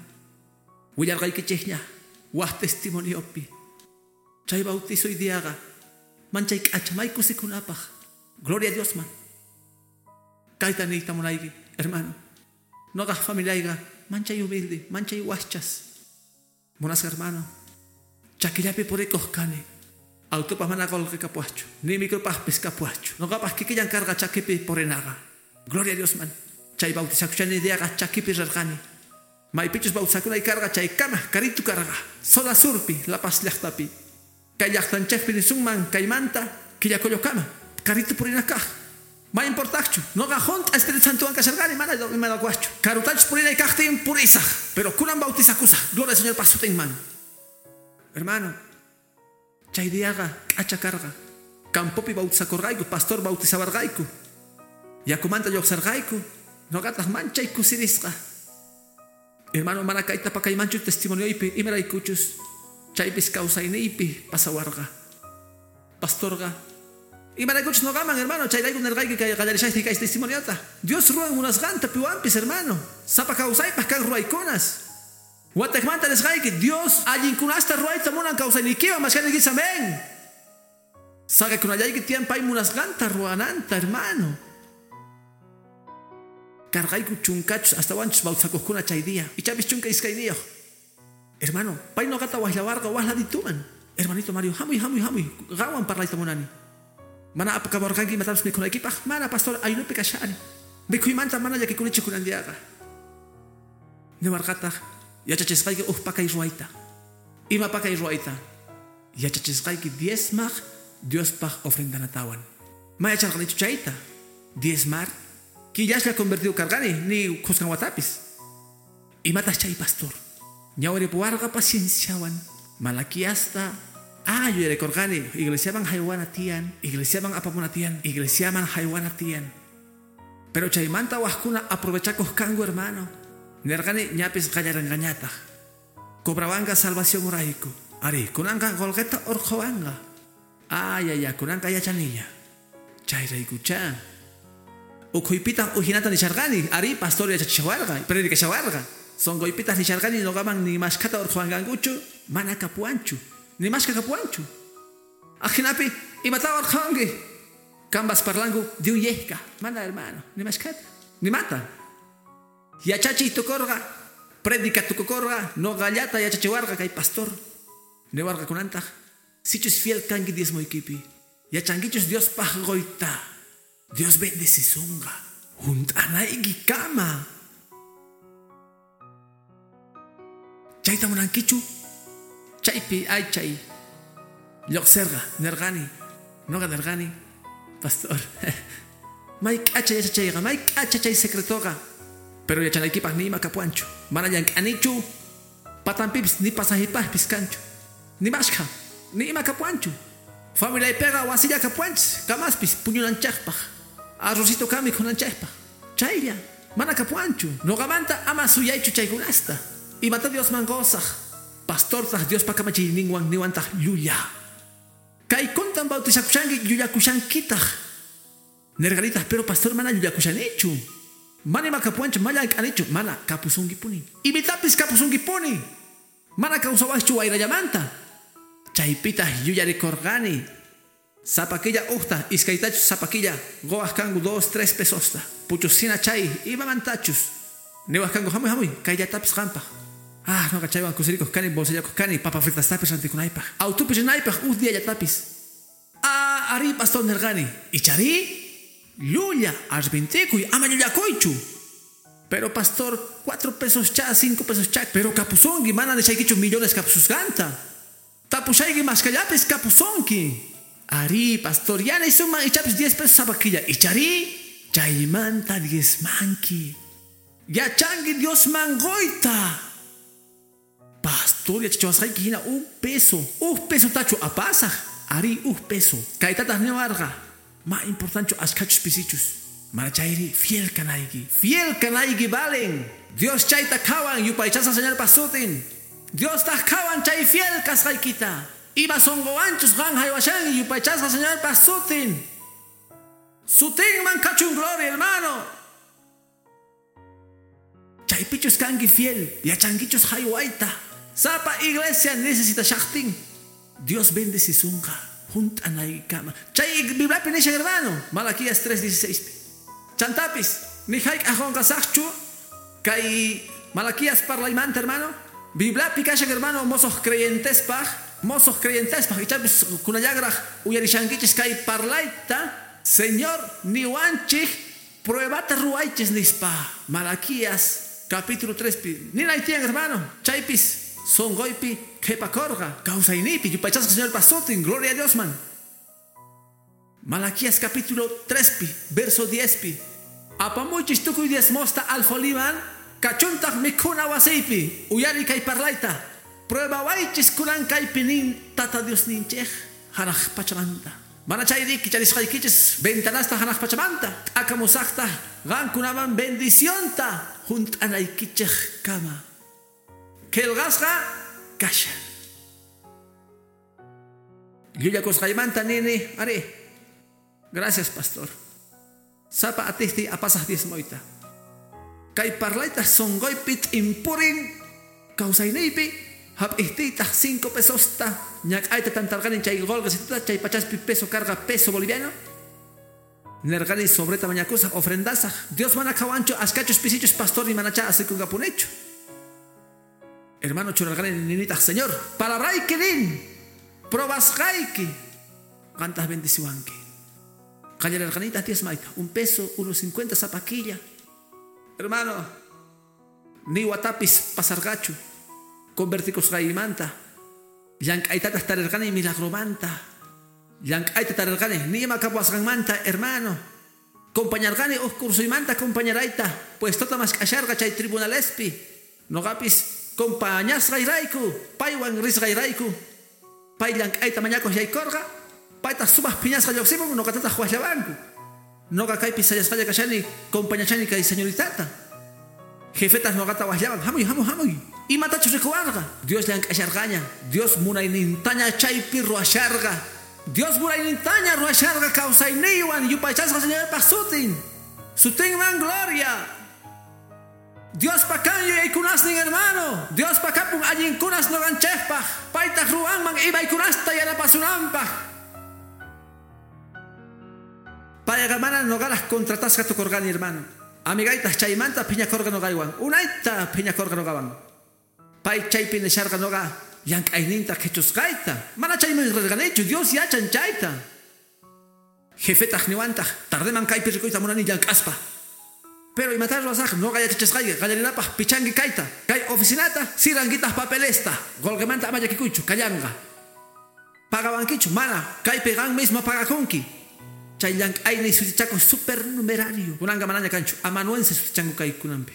Willarqaykichikña waq testimoniopi. Chay bautizo diaqa manchay k'acha may kusikunapaq. Gloria a Dios man. Kayta niyta munayki, hermano. Noqaq familiayqa manchay humilde, manchay wachchas. Munasqa hermano. Chakillapi purikuq kani. Autopaq mana qullqi kapuwaqchu, ni micropaqpis kapuwaqchu. Noqapaq kikillan karqa chakipi purinaqa. Gloria a Dios man. Chay bautizakushani diaqa chakipi rirqani. Maypichus bautizakunay karqa chaykama karitu karqa. Zona surpi, La Paz llaqtapi. Kay llaqtanchikpi nisunman kaymanta Quillacollokama. Karitu purina kaq. Ma importaqchu. Noqa junt'a Espíritu Santowan kasharqani mana imanakuwaqchu. Karutachus purinay kaqtin purisaq. Pero kunan bautizakusaq. Gloria al Señor pa sutinman. Hermano, chay diaqa k'acha karqa. Campopi bautizakurqayku, pastor bautizawarqayku. Yakumanta lluqsarqayku. Noqataq manchay kusirisqa. Hermano, mana kayta pakaymanchu testimonioypi imaraykuchus chaypis kawsayniypi pasawarqa. Pastorqa imaraykuchus noqaman, hermano, chayrayku nirqayki kay qallarishayki kay testimoniota. Dios ruwan munasqanta piwanpis, hermano. Sapa kawsaypaq kan ruwaykunas. Wataqmanta nisqayki Dios allinkunasta ruwayta munan kawsayniykiwan mashkaniykis, amén. Saqakunallayki tiyan pay munasqanta ruwananta, hermano. Karqayku chunkachus astawanchus bautizakuqkuna chay día. Ichapis 12. Hermano, pay noqata waqllawarqa waqladituman. Hermanito Mario, hamuy, hamuy, hamuy. Qanwan parlayta munani. Mana apakawarqanki imatapis mikhunaykipaq. Mana pastor ayunopi kashani. Mikhuymanta mana llakikunichu kunan diaqa. Niwarqataq yachachisqayki uj pakay ruwayta. Ima pakay ruwayta? Yachachisqayki diezmaq Diospaq ofrendanatawan. Ma yacharqanichu chayta. Diezmar killaslla convertido karqani ni khuskan watapis. Imataq chay pastor? Ñawripuwarqa pacienciawan. Malaquiasta yuyarikurqani iglesiaman haywana tiyan, iglesiaman apamuna tiyan, iglesiaman haywana tiyan. Pero chaymanta waqkuna aprovechakuq kanku, hermano. Nirqani ñapis qallarinqañataq. Cobrawanqa salvación urayku. Ari, kunanqa qullqita urqhuwanqa. Ay, ay, ay, kunanqa yachaniña. Chayraykucha. Ukhuypitaq ujinata nisharqani. Ari, pastor yachachishawarqa, predicashawarqa. Sunquypitaq nisharqani noqaman ni mashkhata urqhuwanqankuchu, mana kapuwanchu. Ni mashkha kapuwanchu. Ajinapi imata urqhuwanki. Kambas parlanku de un yesca. Mana hermano, ni mashkhata, ni mata. Yachachiy tukurqa, predica tukukurqa, noqallata yachachiwarqa kay pastor. Niwarqa kunantaq, sichus fiel kanki diezmoykipi. Yachankichus Diospaq qoyta. Dios bendecisunqa. Hunt'anayki kama. Chayta munankichu? Chaypi aychay. Lluqsirqa nirqani. Noqa nirqani. Pastor. May k'acha yachachayqa, may k'acha chay secretoqa. Pero yachanaykipaq ni ima kapuwanchu. Mana llank'anichu. Patanpipis ni pasajipaqpis kanchu. Ni mashkha, ni ima kapuwanchu. Familiaypiqa wasilla kapuwanchis, kamaspis puñunanchikpaq. Arrocito kan mikhunanchikpaq. Chaylla, mana kapuwanchu. Noqamanta ama suyaychu chaykunasta. Imata Diosman qusaq. Pastortaq Diospa kamachiyninwan niwantaq llulla. Kaykuntan bautizakushanki llullakushankitaq. Nirqanitaq, pero pastor mana llullakushanichu. Mana ima kapuwanchu, mana llank'anichu, mana kapusunkipuni. Imitapis kapusunkipuni. Mana kawsawaqchu wayrallamanta. Chaypitaq yuyarikurqani. Sapakilla uqta, iskaytachus sapakilla, quwaq kanku 2, 3 pesosta. Puchusina chay, imamantachus. Niwaq kanku hamuy hamuy, kayllatapis qampaq. Ah, noqa chaywan kusirikuq kani, bolsillakuq kani, papa fritastapis rantikunaypaq. Autopis rinaypaq, uj diallatapis. Ah, ari pastor nirqani. Ichari? Llulla, arrepentikuy, ama llullakuychu. Pero pastor, 4 pesos cha, 5 pesos cha, pero kapusunki, mana nishaykichu millones kapususqanta. Tapushayki mashkallapis kapusunki. Ari, pastor, ya nisunman ichapis 10 pesos sapakilla. Ichari, chaymanta diezmanki. Yachanki Diosman qoyta. Pastor, yachachawasqayki hina 1 peso. 1 peso tachu apasaq. Ari, 1 peso. Kaytataq niwarqa. Ma importanchu ashkhachus pisichus. Mana chayri fiel kanayki. Fiel kanayki valen. Dios chayta qhawan yupaychasqa Señorpa sutin. Dios taq qhawan chay fiel kasqaykita. Ima sunquwanchus qan haywashanki yupaychasqa Señorpa sutin. Sutinman kachun gloria, hermano. Chaypichus kanki fiel, yachankichus haywayta. Sapa iglesia necesita shaqtin. Dios bendecisunqa. Hunt'anaykama. Chay Bibliapi nishan, hermano. Malaquías 3:16. Chantapis, ni hayk'aq qunqasaqchu kay Malaquías parlaymanta, hermano. Bibliapi kashan, hermano, mozos creyentespaq, ichapis kunallagraq uyarishankichis kay parlayta. Señor niwanchik pruebata ruwaychis nispa. Malaquías capítulo 3. Ninay tiyan, hermano. Chaypis sonqoypi qhipakurqa kawsaynipi yupaychasqa Señorpa sutin. Gloria a Dios man. Malaquías capítulo 3 verso 10. Apamuychis tukuy diezmosta alfoliman kachuntaq mikhuna wasiypi uyari kay parlayta. Prueba waychis kunan kaypi nin Tata Dios ninchej hanaq pachamanta. Mana chayri kicharisqaykichis ventanasta hanaq pachamanta. T'akamusaqta qankunaman bendicionta hunt'anaykichej kama. Qillqasqa kashan. Llullakusqaymanta nini, ari. Gracias, pastor. Sapa atihti apasaq diezmoyta. Kay parlayta sonqoypi t'impurin kawsayniypi hap'ihtiytaq 5 pesosta ñak'ayta tantarqani chay qolqesituta chay pachaspi peso carga peso boliviano. Nirqani sobreta mañakusaq ofrendasaq. Dios mana qhawanchu ashkachus pisichus pastor ni manacha asikunqapunichu. Hermano churarqani ninitaq Señor, palabrayki nin, probasqayki, qantaq bendiciwanki. Qallararqanitaq diezmayta, 1 peso, 1.50 sapakilla. Hermano, ni watapis pasarqachu, convertikusqaymanta. Llank'aytataq tarirqani milagromanta. Llank'ayta tarirqani ni ima kapuwasqanmanta, hermano. Compañarqani uj cursoymanta compañarayta, puestota mask'asharqa chay tribunalespi. Noqapis compañasqayrayku, paywan risqayrayku. Pay llank'ayta mañakuq yaykurqa, paytaq sumaq phiñasqa lluqsimun, noqatataq waqllawanku. Noqa kaypi sayasqalla kashani, compañachani kay señoritata. Jefetas noqata waqllawan, hamuy, hamuy, hamuy. Imatachus rikuwarqa. Dios llank'asharqaña, Dios munaynintaña chaypi ruwasharqa. Dios munaynintaña ruwasharqa kawsayniywan yupaychasqa Señorpaq sutin. Sutinman gloria. Diospa kan yuyaykunasnin, hermano. Diospa kapun allinkunas noqanchikpaq. Paytaq ruwanman imaykunasta yanapasunanpaq. Payqa mana noqaraq contratasqa tukurqani, hermano. Amigaytaq chaymanta phiñakurqa noqaywan. Unayta phiñakurqa noqawan. Pay chaypi nisharqa noqa llank'ayninta qhichusqayta. Mana chayman rirqanichu, Dios yachan chayta. Jefetaq niwantaq, tardeman kaypi rikuyta munani llank'aspa. Pero imatar ruwasaq noqa yachachisqayki qallarinapaq pichanki kayta, kay oficinata, sirankitaq papelesta, qolqemanta ama llakikuychu, kallanqa. Pagawankichu, mana, kaypi qan mismo pagakunki. Chay llank'ayni sutichakuq supernumerario. Kunanqa manaña kanchu, amanuense sutichanku kaykunanpi.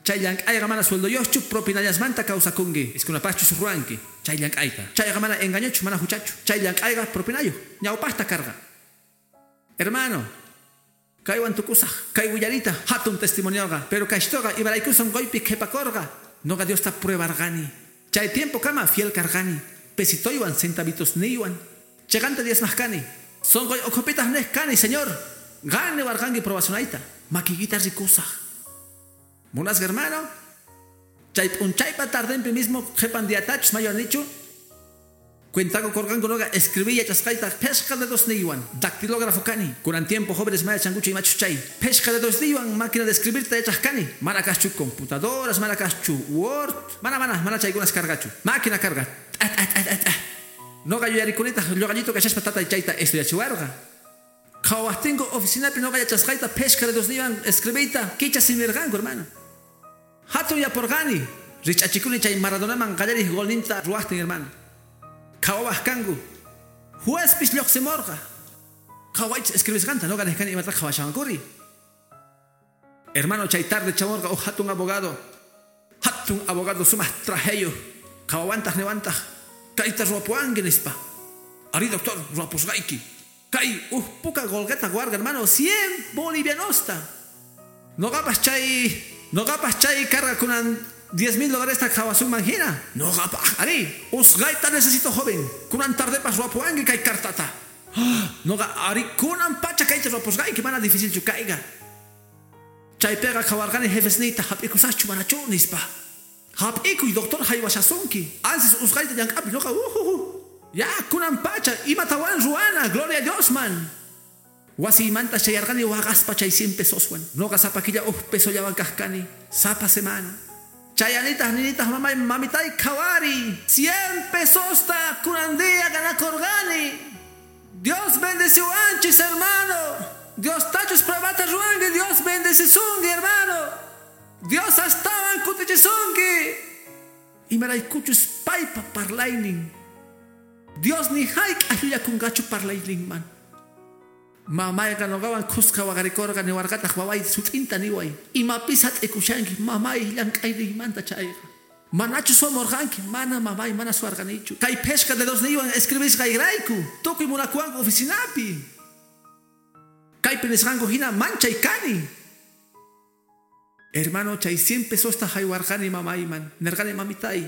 Chay llank'ayqa mana sueldoyuqchu, propinallasmanta kawsakunki, iskunapaqchus ruwanki chay llank'ayta. Chayqa mana engañochu, mana huchachu. Chay llank'ayqa propinayuq, ñawpaqta karqa. Hermano, kaywan tukusaq, kay willarita hatun testimonioqa, pero kayshtoqa imarayku sunquypi qhipakurqa, noqa Diosta pruebarqani. Chay tiempo kama fiel karqani, pesitoywan centavitosniywan, chiqanta diezmaq kani. Sunquy ukhupitaq niq kani, Señor, qan niwarqanki probasunayta, makiykita rikusaq. Munasqa hermano, chay p'unchaypa tardenpi mismo qhipan diatachus mayanichu, cuentaku kurqanku noqa escribí yachasqayta phishqa dedosniywan, dactilógrafo kani. Kunan tiempo jóvenes mana yachankuchu imachus chay. Phishqa dedosniywan máquina de escribirta yachaq kani. Mana kaqchu computadoras, mana kaqchu Word, mana mana mana chaykunas karqachu. Máquina karqa. Noqa yuyarikunitaq lluqallito kashaspa tatay chayta estudiachiwarqa. Qhawaqtinku oficinapi noqa yachasqayta phishqa dedosniywan escribiyta kicha simirqanku, hermano. Hatun yapurqani, rich'achikuni chay Maradonaman qallariq golninta ruwaqtin, hermano. Qhawawaq kanku. Juezpis lluqsimurqa. Qhawaychis escribisqanta, noqa niq kani imatataq qhawashawankuri. Hermano, chay tarde chamurqa uj hatun abogado. Hatun abogado sumaq trajeyuq. Qhawawantaq niwantaq, kayta ruwapuwanki nispa. Ari doctor, ruwapusqayki. Kay uj puka qolqeta warqa, hermano, 100 bolivianosta. Noqapas chay karqa kunan $10,000 qhawasunman hina. Noqapaq, ari, usqayta necesito joven. Kunan tardepas ruwapuwanki kay cartata. Noqa, ari, kunan pacha kayta ruwapusqayki, mana dificilchu kayqa. Chaypiqa qhawarqani jefesniyta hap'ikusaqchu manachu nispa. Hap'ikuy doctor haywashasunki. Ansis usqayta llank'api noqa ujuju. Ya, kunan pacha, imatawan ruwana, gloria a Dios man. Wasiymanta chayarqani waqaspa chay 100 pesoswan. Noqa sapa killa uj pesollawan kaq kani, sapa semana. Chayanitaq ninitaq mamay, mamitay qhawari, 100 pesosta kunan día ganakurqani. Dios bendeciwanchis, hermano. Dios tachus pruebata ruwanki, Dios bendecisunki, hermano. Dios astawan kutichisunki. Imaraykuchus paypa parlaynin. Dios ni hayk'aq llullakunqachu parlayninman. Mamayqa noqawan khuska waqarikurqa niwarqataq waway sut'inta niway. Imapis hat'ikushanki mamay llank'ayniymanta chayqa. Manachu suwamurqanki? Mana mamay, mana suwarqanichu. Kay phishqa dedosniywan escribisqayrayku tukuy munakuwanku oficinapi. Kaypi nisqanku hina manchay kani. Hermano, chay 100 pesosta haywarqani mamayman. Nirqani mamitay,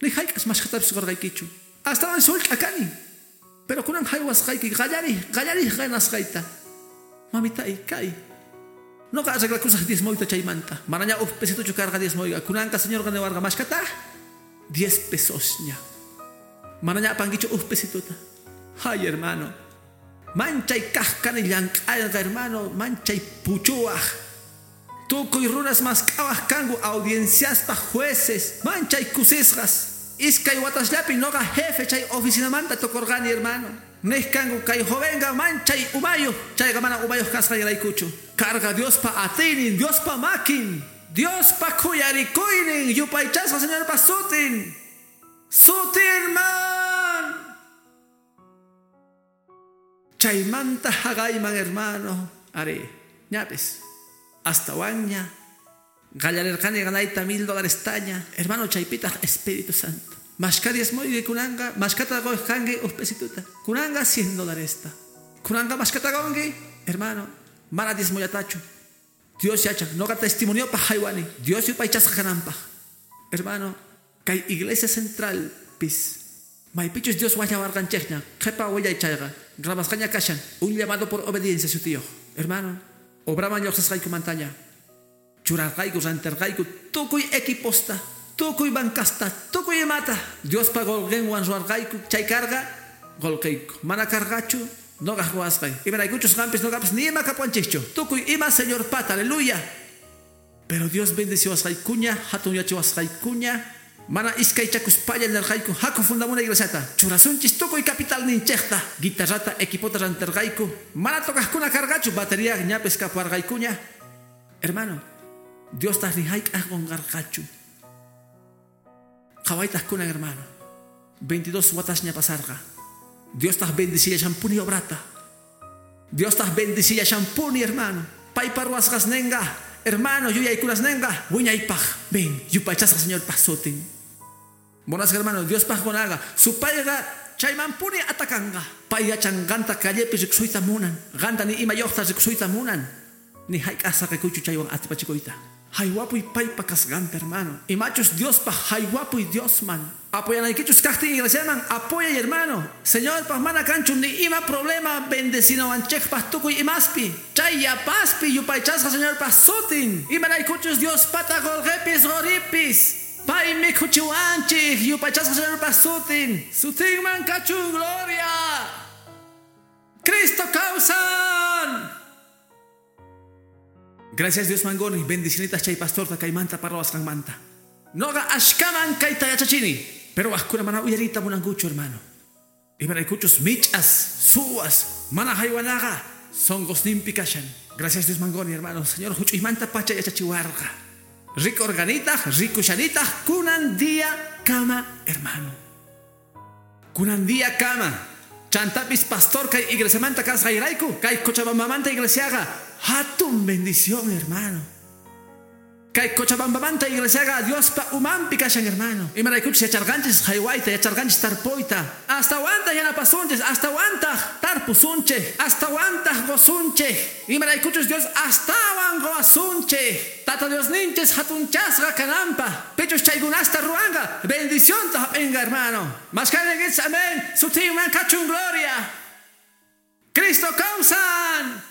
ni hayk'as mashkhatapis qurqaykichu. Astawan sullk'a kani. Pero kunan haywasqayki qallariq ganasqayta. Mamitay, kay. Noqa arreglakusaq diezmoyta chaymanta. Manaña uj pesitochu karqa diezmoyqa. Kunanqa señorqa niwarqa mashkata 10 pesosña. Manaña apankichu uj pesitota. Ay, hermano. Manchay kaq kani llank'ayqa, hermano. Manchay puchuwaq. Tukuy runas mask'awaq kanku audienciaspaq jueces. Manchay kusisqas. Iskay watasllapi noqa jefe chay oficinamanta tukurqani, hermano. Niq kanku kay jovenqa manchay umayuq. Chayqa mana umayuq kasqayraykuchu. Karqa Diospa atiynin, Diospa makin, Diospa khuyarikuynin, yupaychasqa Señorpa sutin. Sutinman. Chaymanta haqayman, hermano. Ari, ñapis. Astawanña. Qallarirqani ganayta $1,000 taña. Hermano, chaypitaq Espíritu Santo. Mashka diezmoyki kunanqa, mashkata qunqanki uj pesituta. Kunanqa $100. Kunanqa mashkata qunki, hermano, mana diezmollatachu. Dios yachan, noqa testimoniopaq haywani. Dios yupaychasqa kananpaq. Hermano, kay iglesia central pis. Maypichus Dios wallawarqanchikña, qhipa willay chayqa. Grabasqaña kashan, un llamado por obediencia sutiyuq. Hermano, obraman lluqsisqaykumantaña. Churarqayku, rantirqayku, tukuy equiposta, tukuy bancasta, tukuy imata. Diospa qolqinwan ruwarqayku, chay karqa qolqiyku. Mana karqachu, noqaq ruwasqay. Imaraykuchus qampis noqapis ni ima kapuanchikchu. Tukuy ima Señorpata, aleluya. Pero Dios bendeciwasqaykuña, hatunyachiwasqaykuña. Mana iskaychakuspalla nirqayku haku fundamuna iglesiata. Churasunchis tukuy capital ninchikta. Guitarrata equipota rantirqayku. Mana tocaqkuna karqachu batería ñapis kapuarqaykuña. Hermano, Diostaq ni hayk'aq qunqarqachu. Qhawaytaq kunan hermano. 22 watasña pasarqa. Diostaq bendicillashanpuni obrata. Diostaq bendicillashanpuni hermano. Paypa ruwasqasninqa, hermano, yuyaykunasninqa, wiñaypaq. Ven, yupaychasqa Señorpaq sutin. Buenas hermano, Diospaq qunaqa, supayqa chaymanpuni atakanqa. Pay yachan qanta callepi rikusuyta munan. Qanta ni imayuqta rikusuyta munan. Ni hayk'aq saqikuychu chaywan atipachikuyta. Haywapuy paypa kasqanta, hermano. Imachus Diospaq haywapuy Diosman. Apoyanaykichus kaqtin iglesiaman, apoyay hermano. Señorpaq mana kanchu ni ima problema bendecinawanchikpaq tukuy imaspi. Chay yapaspi yupaychasqa Señorpaq sutin. Imaraykuchus Diospata qolqepis qoripis. Pay mikhuchiwanchik yupaychasqa Señorpaq sutin. Sutinman kachun gloria. Cristo kawsan. Gracias Dios mangoni, bendicinitas chay pastorta kaymanta parlawasqanmanta. Noqa ashkaman kayta yachachini, pero wajkuna mana uyariyta munankuchu hermano. Imaraykuchus mich'as, suwas, mana haywanaqa sonqosninpi kashan. Gracias Dios mangoni hermano, Señor huch'uymanta pacha yachachiwarqa. Rikorqanitaq, rikushanitaq kunan día kama hermano. Kunan día kama. Chantapis pastor kay iglesiamanta kasqayrayku, kay Cochabambamanta iglesiaqa hatun bendición hermano. Kay Cochabambamanta iglesiaqa Diospa umanpi kashan hermano. Imaraykuchus yacharqanchis haywayta, yacharqanchis tarpuyta. Astawantaq yanapasunchis, astawantaq tarpusunchik, astawantaq qusunchik. Imaraykuchus Dios astawan quwasunchik. Tata Diosninchis hatunchasqa kananpaq. Pichus chaykunasta ruwanqa, bendicionta hap'inqa hermano. Mashkanigis amén. Sutinman kachun gloria. Cristo kawsan.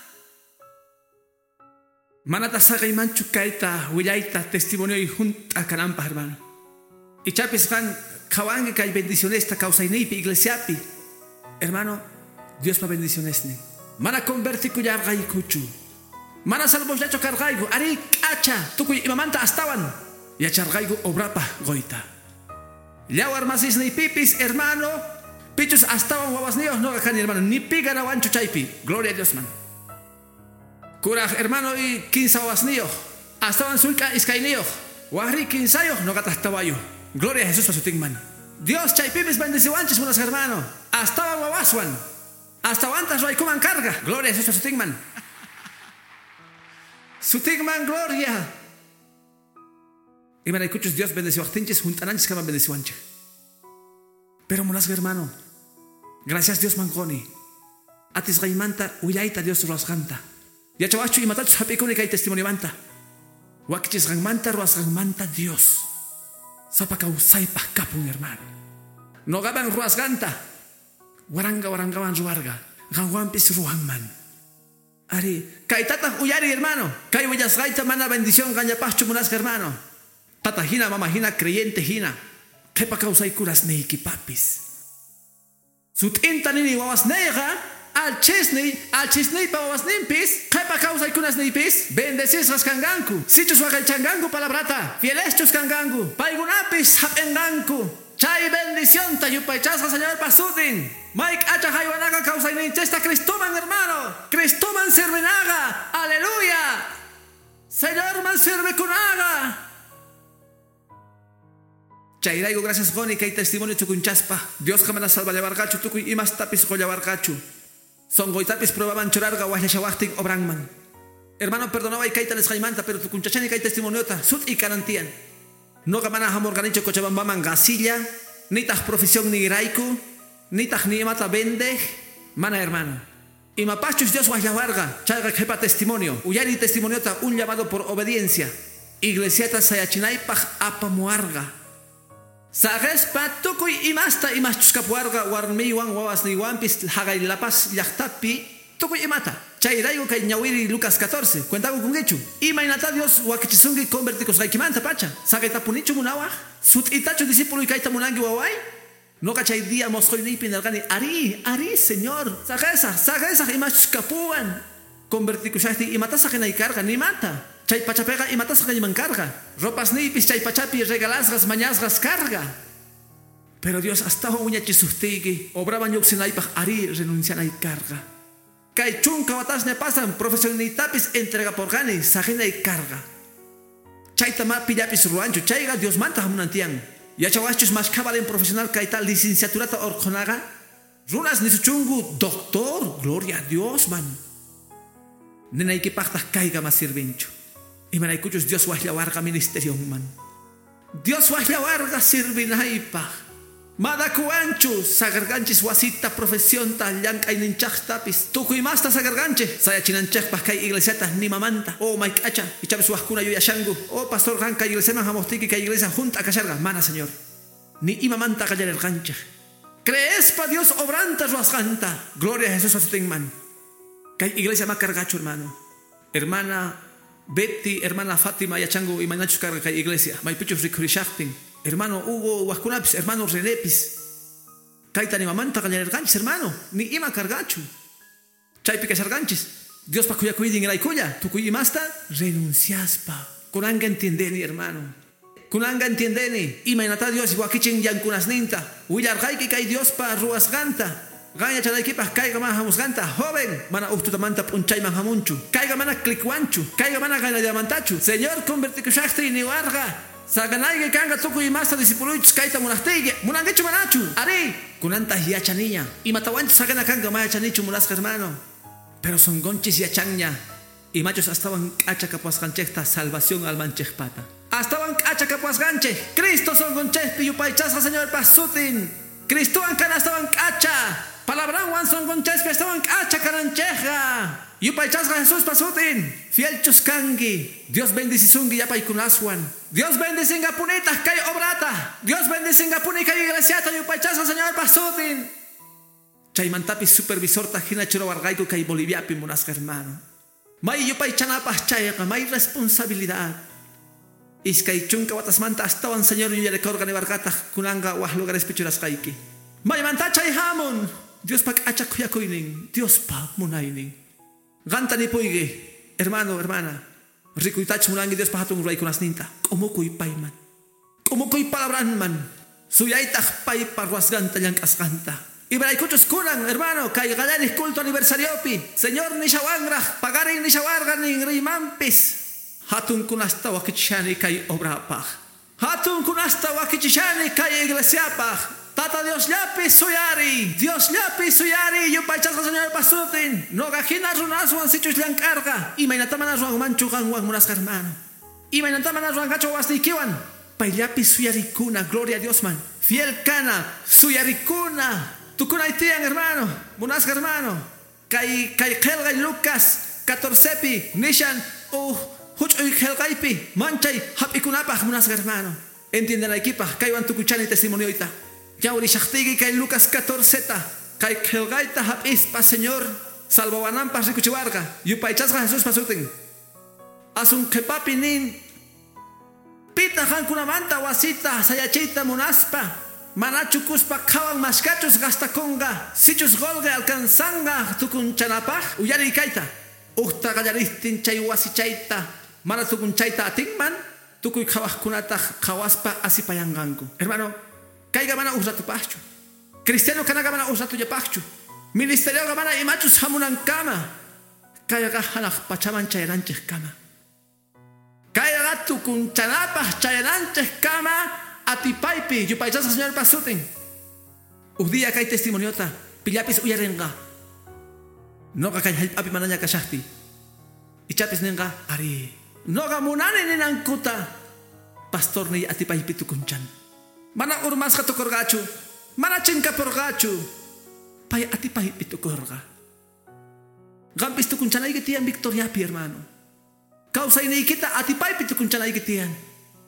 Manata saqaymanchu kayta willayta testimonio y junta kananpaq hermano. Ichapis qan qhawanki kay bendicionesta kawsayniypi iglesiapi. Hermano, Diospa bendicionesnin. Mana convertikullarqaykuchu. Mana salvosllachu karqayku. Ari k'acha tukuy imamanta astawan yacharqayku obrapaq qoyta. Yawar masisniypipis hermano, pichus astawan wawasniyuq noqa kani hermano, ni pi ganawanchu chaypi. Gloria a Diosman. Kuraj hermano y 15 wawasniyuq, astawan sullk'a iskayniyuq, waqri 15yuq noqataq tawayuq. Gloria a Jesús sutinman. Dios chaypipis bendeciwanchis buenos hermano, astawan wawaswan, astawantas ruwaykuman karqa. Gloria a Jesús sutinman. Sutinman gloria. Imaraykuchus Dios bendeciwaqtinchis juntananchis kama bendeciwanchik. Pero munasqa hermano, gracias Dios mankoni. Atisqaymanta willayta Dios ruwasqanta. Yachawaqchu imatachus hap'ikuni kay testimoniomanta. Wakichisqanmanta ruwasqanmanta Dios. Sapa kawsaypaq kapun hermano. Noqaman ruwasqanta waranqa waranqawan ruwarqa. Qanwanpis ruwanman. Ari, kaytataq uyari hermano. Kay willasqayta mana bendición qanllapaqchu munasqa hermano. Tata hina, mama hina, creyente hina. Qhipa kawsaykunasniykipapis. Sut'inta nini wawasniyqa, alchisniy, alchisniypa wawasninpis, qhipa kawsaykunasniypis, bendecisqas kanqanku. Sichus waqaychanqanku palabrata, fieleschus kanqanku, paykunapis hap'inqanku. Chay bendicionta yupaychasqa Señorpa sutin. May k'acha haywanaqa kawsayninchista Cristoman hermano. Cristoman sirvinaqa. Aleluya. Señorman sirvikunaqa. Chayrayku gracias quni kay testimonio chukunchaspa. Diosqa mana salvallawarqachu tukuy imastapis qullawarqachu. Sonqoytapis pruebaman churarqa waqllashawaqtin obranman. Hermano, perdonaway kayta nisqaymanta, pero tukunchachani kay testimoniota sut'i kanan tiyan. Noqa mana hamurqanichu Cochabambaman qasilla, nitaq profesión niyrayku, nitaq ni imata vendej, mana hermano. Imapachus Dios waqllawarqa, chayqa qhipa testimonio, uyari testimoniota un llamado por obediencia. Iglesiata sayachinaypaq apamuarqa. Saqespa tukuy imasta imaschus kapuarqa warmiywan wawasniywanpis haqay La Paz llaqtapi tukuy imata. Chayrayku kay ñawiri Lucas 14, cuentakukunkichu. Imaynata Dios wakichisunki convertikusqaykimanta pacha. Saqaytapunichu munawaq? Sut'itachu discípulo kayta munanki waway? Noqa chay día mosqoyniypi nirqani, ari, ari, Señor. Saqesaq, saqesaq imaschus kapuwan. Convertikushaqtin imata saqinay karqa, nimata. Chay pachapiqa imatasqa iman karqa. Ropasniypis chay pachapi regalasqas mañasqas karqa. Pero Dios astawan wiñachisuqtiyki obraman lluqsinaypaq ari renuncianay karqa. Kay chunka watasña pasan profesionniytapis entregaporqani saqinay karqa. Chayta ma pillapis ruwanchu, chayqa Diosmanta hamunan tiyan. Yachawaqchus mashkha valen profesional kayta licenciaturata urqhunaqa. Runas nisuchunku doctor, gloria a Dios man. Ninaykipaqtaq kayqa ma sirvinchu. Imaraykuchus Dios waqllawarqa ministerionman. Dios waqllawarqa sirvinaypaq. Madakuwanchu sagarganchis wasita profesionta llank'ayninchaqtapis tukuy masta sagarganchik sayachinanchikpaq kay iglesiata nimamanta. Oh mayk'acha ichapis waqkuna yuyashanku. Oh pastor qan kay iglesiaman hamuqtiyki kay iglesia junta kasharqa. Mana señor, ni imamanta qallarirqanchik. Creespa Dios obranta ruwasqanta. Gloria a Jesús asutinman. Kay iglesia ma karqachu, hermano. Hermana Betty, hermana Fátima yachanku imaynachus karqa kay iglesia. Maypichus rikhurishaqtin. Hermano Hugo waqkunapis, hermano Renepis. Kayta nimamanta qallarirqanchis, hermano. Ni ima karqachu. Chaypi kasharqanchis. Diospa khuyakuyninraykulla tukuy imasta renunciaspa. Kunanqa entiendeni, hermano. Kunanqa entiendeni. Imaynata Dios wakichin yankunasninta. Willarqayki kay Diospa ruwasqanta. Qan yachanaykipaq kayqa mana hamusqanta. Joven, mana uj tutamanta p'unchayman hamunchu. Kayqa mana clicwanchu. Kayqa mana qaynallamantachu. Señor convertikushaqtiy niwarqa. Saganayki kanqa tukuy imasta discipuluychus kayta munaqtiyki. Munankichu manachu? Ari, kunantaq yachaniña. Imatawanchus saqina kanqa ma yachanichu munasqa hermano. Pero sonqonchis yachanña. Imachus astawan k'acha kapuwasqanchikta salvación almanchikpata. Astawan k'acha kapuwasqanchik. Cristo sonqonchikpi yupaychasqa Señorpa sutin. Cristowan kana astawan k'acha. Palabranwan sonqonchikpi astawan k'acha kananchikqa. Yupaychasqa Jesuspa sutin. Fielchus kanki. Dios bendicisunki yapaykunaswan. Dios bendicingapunitaq kay obrata. Dios bendicingapuni kay iglesiata yupaychasqa Señorpa sutin. Chaymantapis supervisorta hina churawarqayku kay Boliviapi munasqa hermano. May yupaychanapaq chayqa may responsabilidad. Iskay chunka watasmanta astawan Señor yuyarikurqa niwarqataq kunanqa waj lugarespi churasqayki. Maymanta chay hamun. Diospa k'acha khuyakuynin, Diospa munaynin. Qanta nipuyki, hermano, hermana. Rikuytachus munanki Diospa hatun ruraykunasninta. K'umukuy payman. K'umukuy palabranman. Suyaytaq paypa ruwasqanta llank'asqanta. Imaraykuchus kunan, hermano, kay qallariq culto aniversariopi. Señor nishawanraq, paqarin nishawarqa ninrimanpis. Hatun kunasta wakichishani kay obrapaq. Hatun kunasta wakichishani kay iglesiapaq. Tata Dios llapi suyari, Dios llapi suyari, yupaychasqa Señorpa sutin. Noqa hina runaswan sichus llank'arqa. Imaynata mana ruwanmanchu qanwan munasqa hermano. Imaynata mana ruwanqachu wasniykiwan. Payllapi suyarikuna, gloria a Diosman. Fiel kana, suyarikuna. Tukunay tiyan, hermano, munasqa hermano. Kay kay qillqay Lucas 14pi nishan huch'uy qillqaypi manchay hap'ikunapaq munasqa hermano. Entiendanaykipaq kaywan tukuchani testimonioyta. Ñawrishaqtiyki kay Lucas 14ta kay qillqayta hap'ispa Señor salvawananpaq rikuchiwarqa. Yupaychasqa Jesuspa sutin. Asun qhipapi nin pitaq qankunamanta wasita sayachiyta munaspa manachu kuspa qhawan mashkachus gastakunqa sichus qolqe alcanzanqa tukunchanapaq uyariy kayta. Uqta qallariptin chay wasichayta mana tukunchayta atinman tukuy qhawaqkunataq qhawaspa asipayanqanku. Hermano, kayqa mana uj ratupaqchu. Cristiano kanaqa mana uj ratullapaqchu. Ministerioqa mana imachus hamunankama. Kayqa hanaq pachaman chayananchikkama. Kayqa tukunchanapaq chayananchikkama atipaypi yupaychasqa Señorpa sutin. Uj día kay testimoniota pillapis uyarinqa. Noqa kay hallp'api manaña kashaqtiy. Ichapis ninqa ari. Noqa munani ninankuta. Pastorniy atipaypi tukunchan. Mana urmasqa tukurqachu. Mana chinkapurqachu. Pay atipaypi tukurqa. Qampis tukunchanayki tiyan victoriapi, hermano. Kawsayniykita atipaypi tukunchanayki tiyan.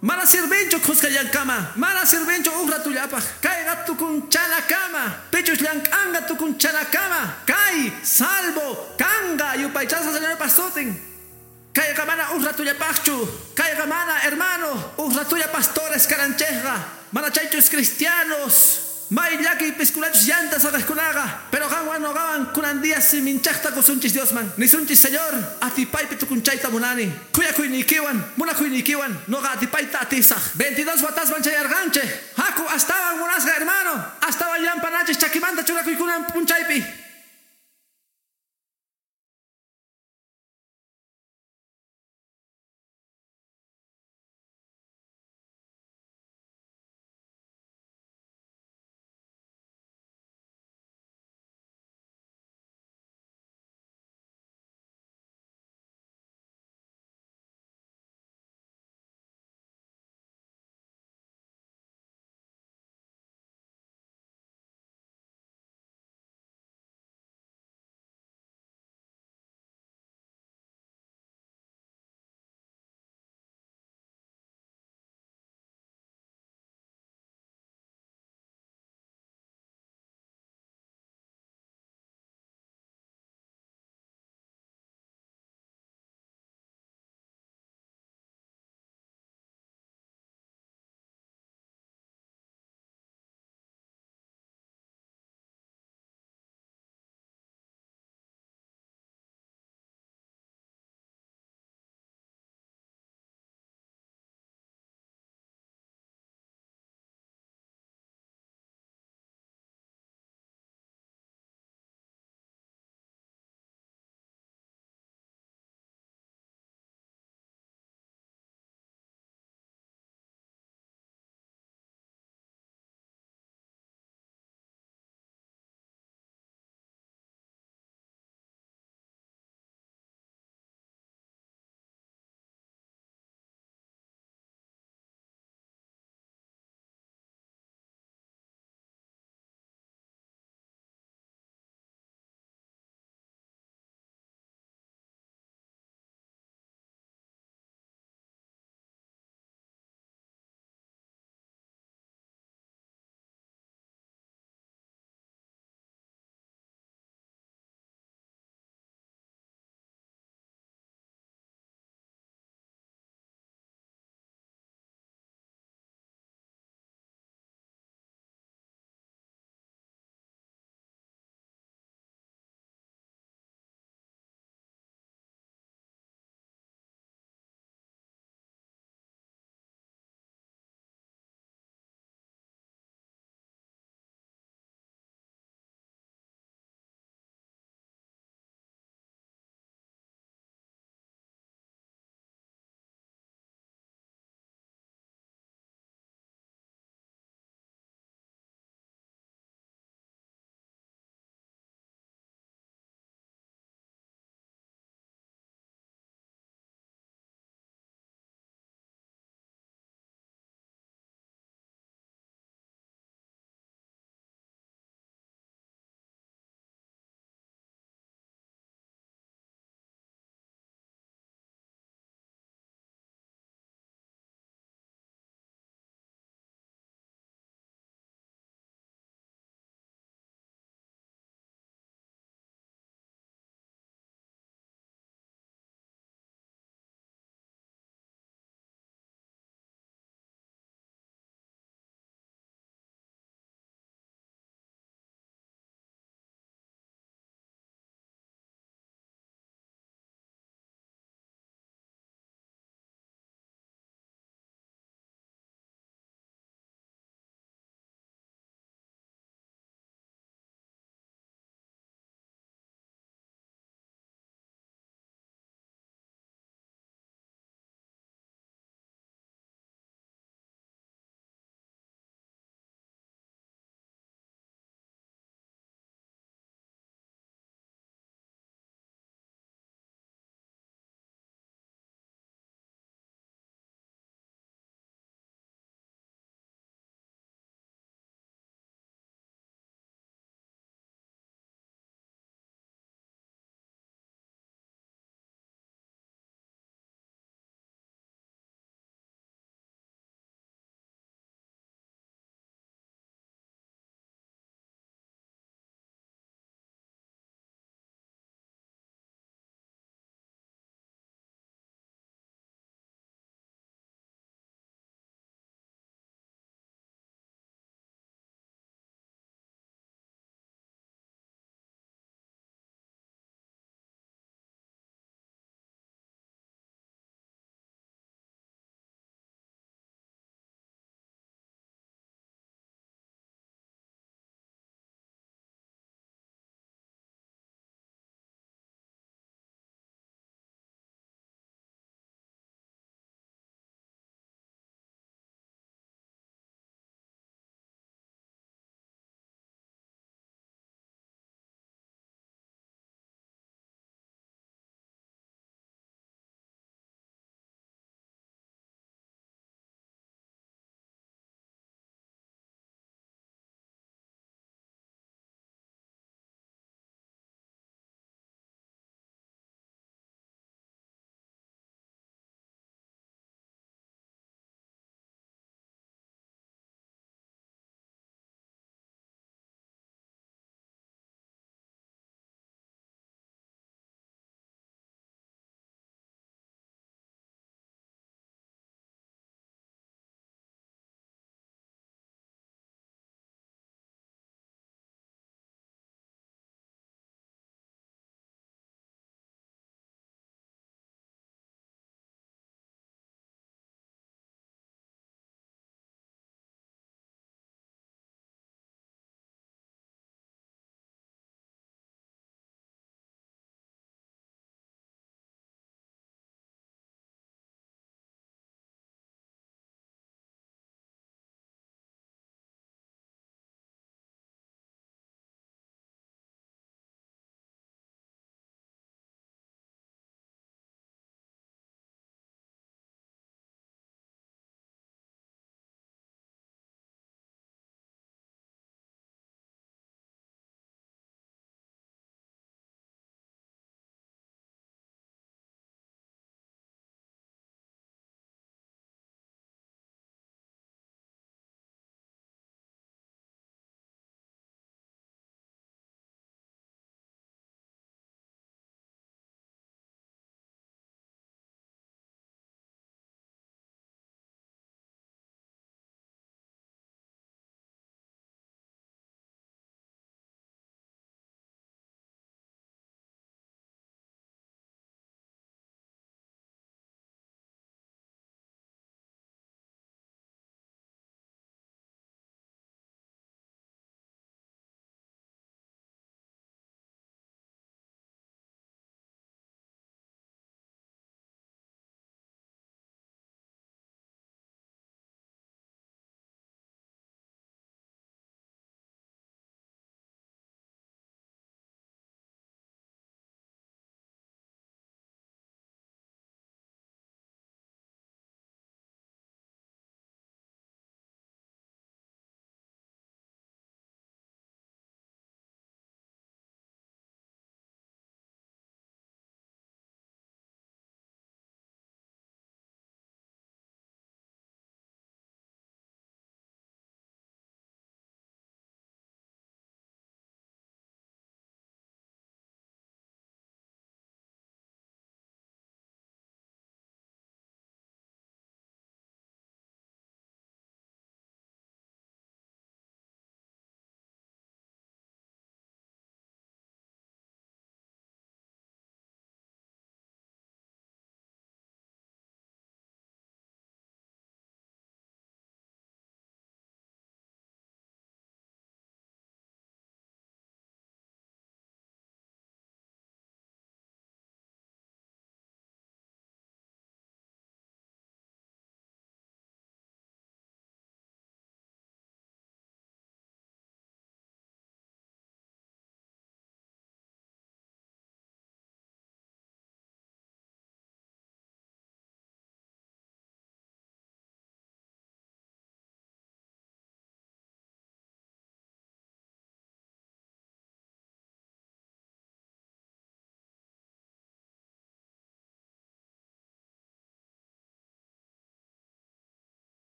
Mana sirvinchu khuskallankama. Mana sirvinchu uj ratullapaq. Kayqa tukunchanakama. Pichus llank'anqa tukunchanakama. Kay salvo kanqa yupaychasqa Señorpa sutin. Kayqa mana uj ratullapaqchu. Kayqa mana, hermano, uj ratulla pastores kananchikqa. Mana chaychus cristianos. May llakiy piskunachus llanta saqejkunaqa. Pero qanwan noqawan kunan día siminchaqta kusunchis Diosman. Nisunchis, Señor, atipaypi tukunchayta munani. Khuyakuyniykiwan, munakuynikiwan, noqa atipayta atisaq. 22 watasman chayarqanchik. Haku astawan munasqa hermano. Astawan llampanachis chakimanta churakuykunan punchaypi.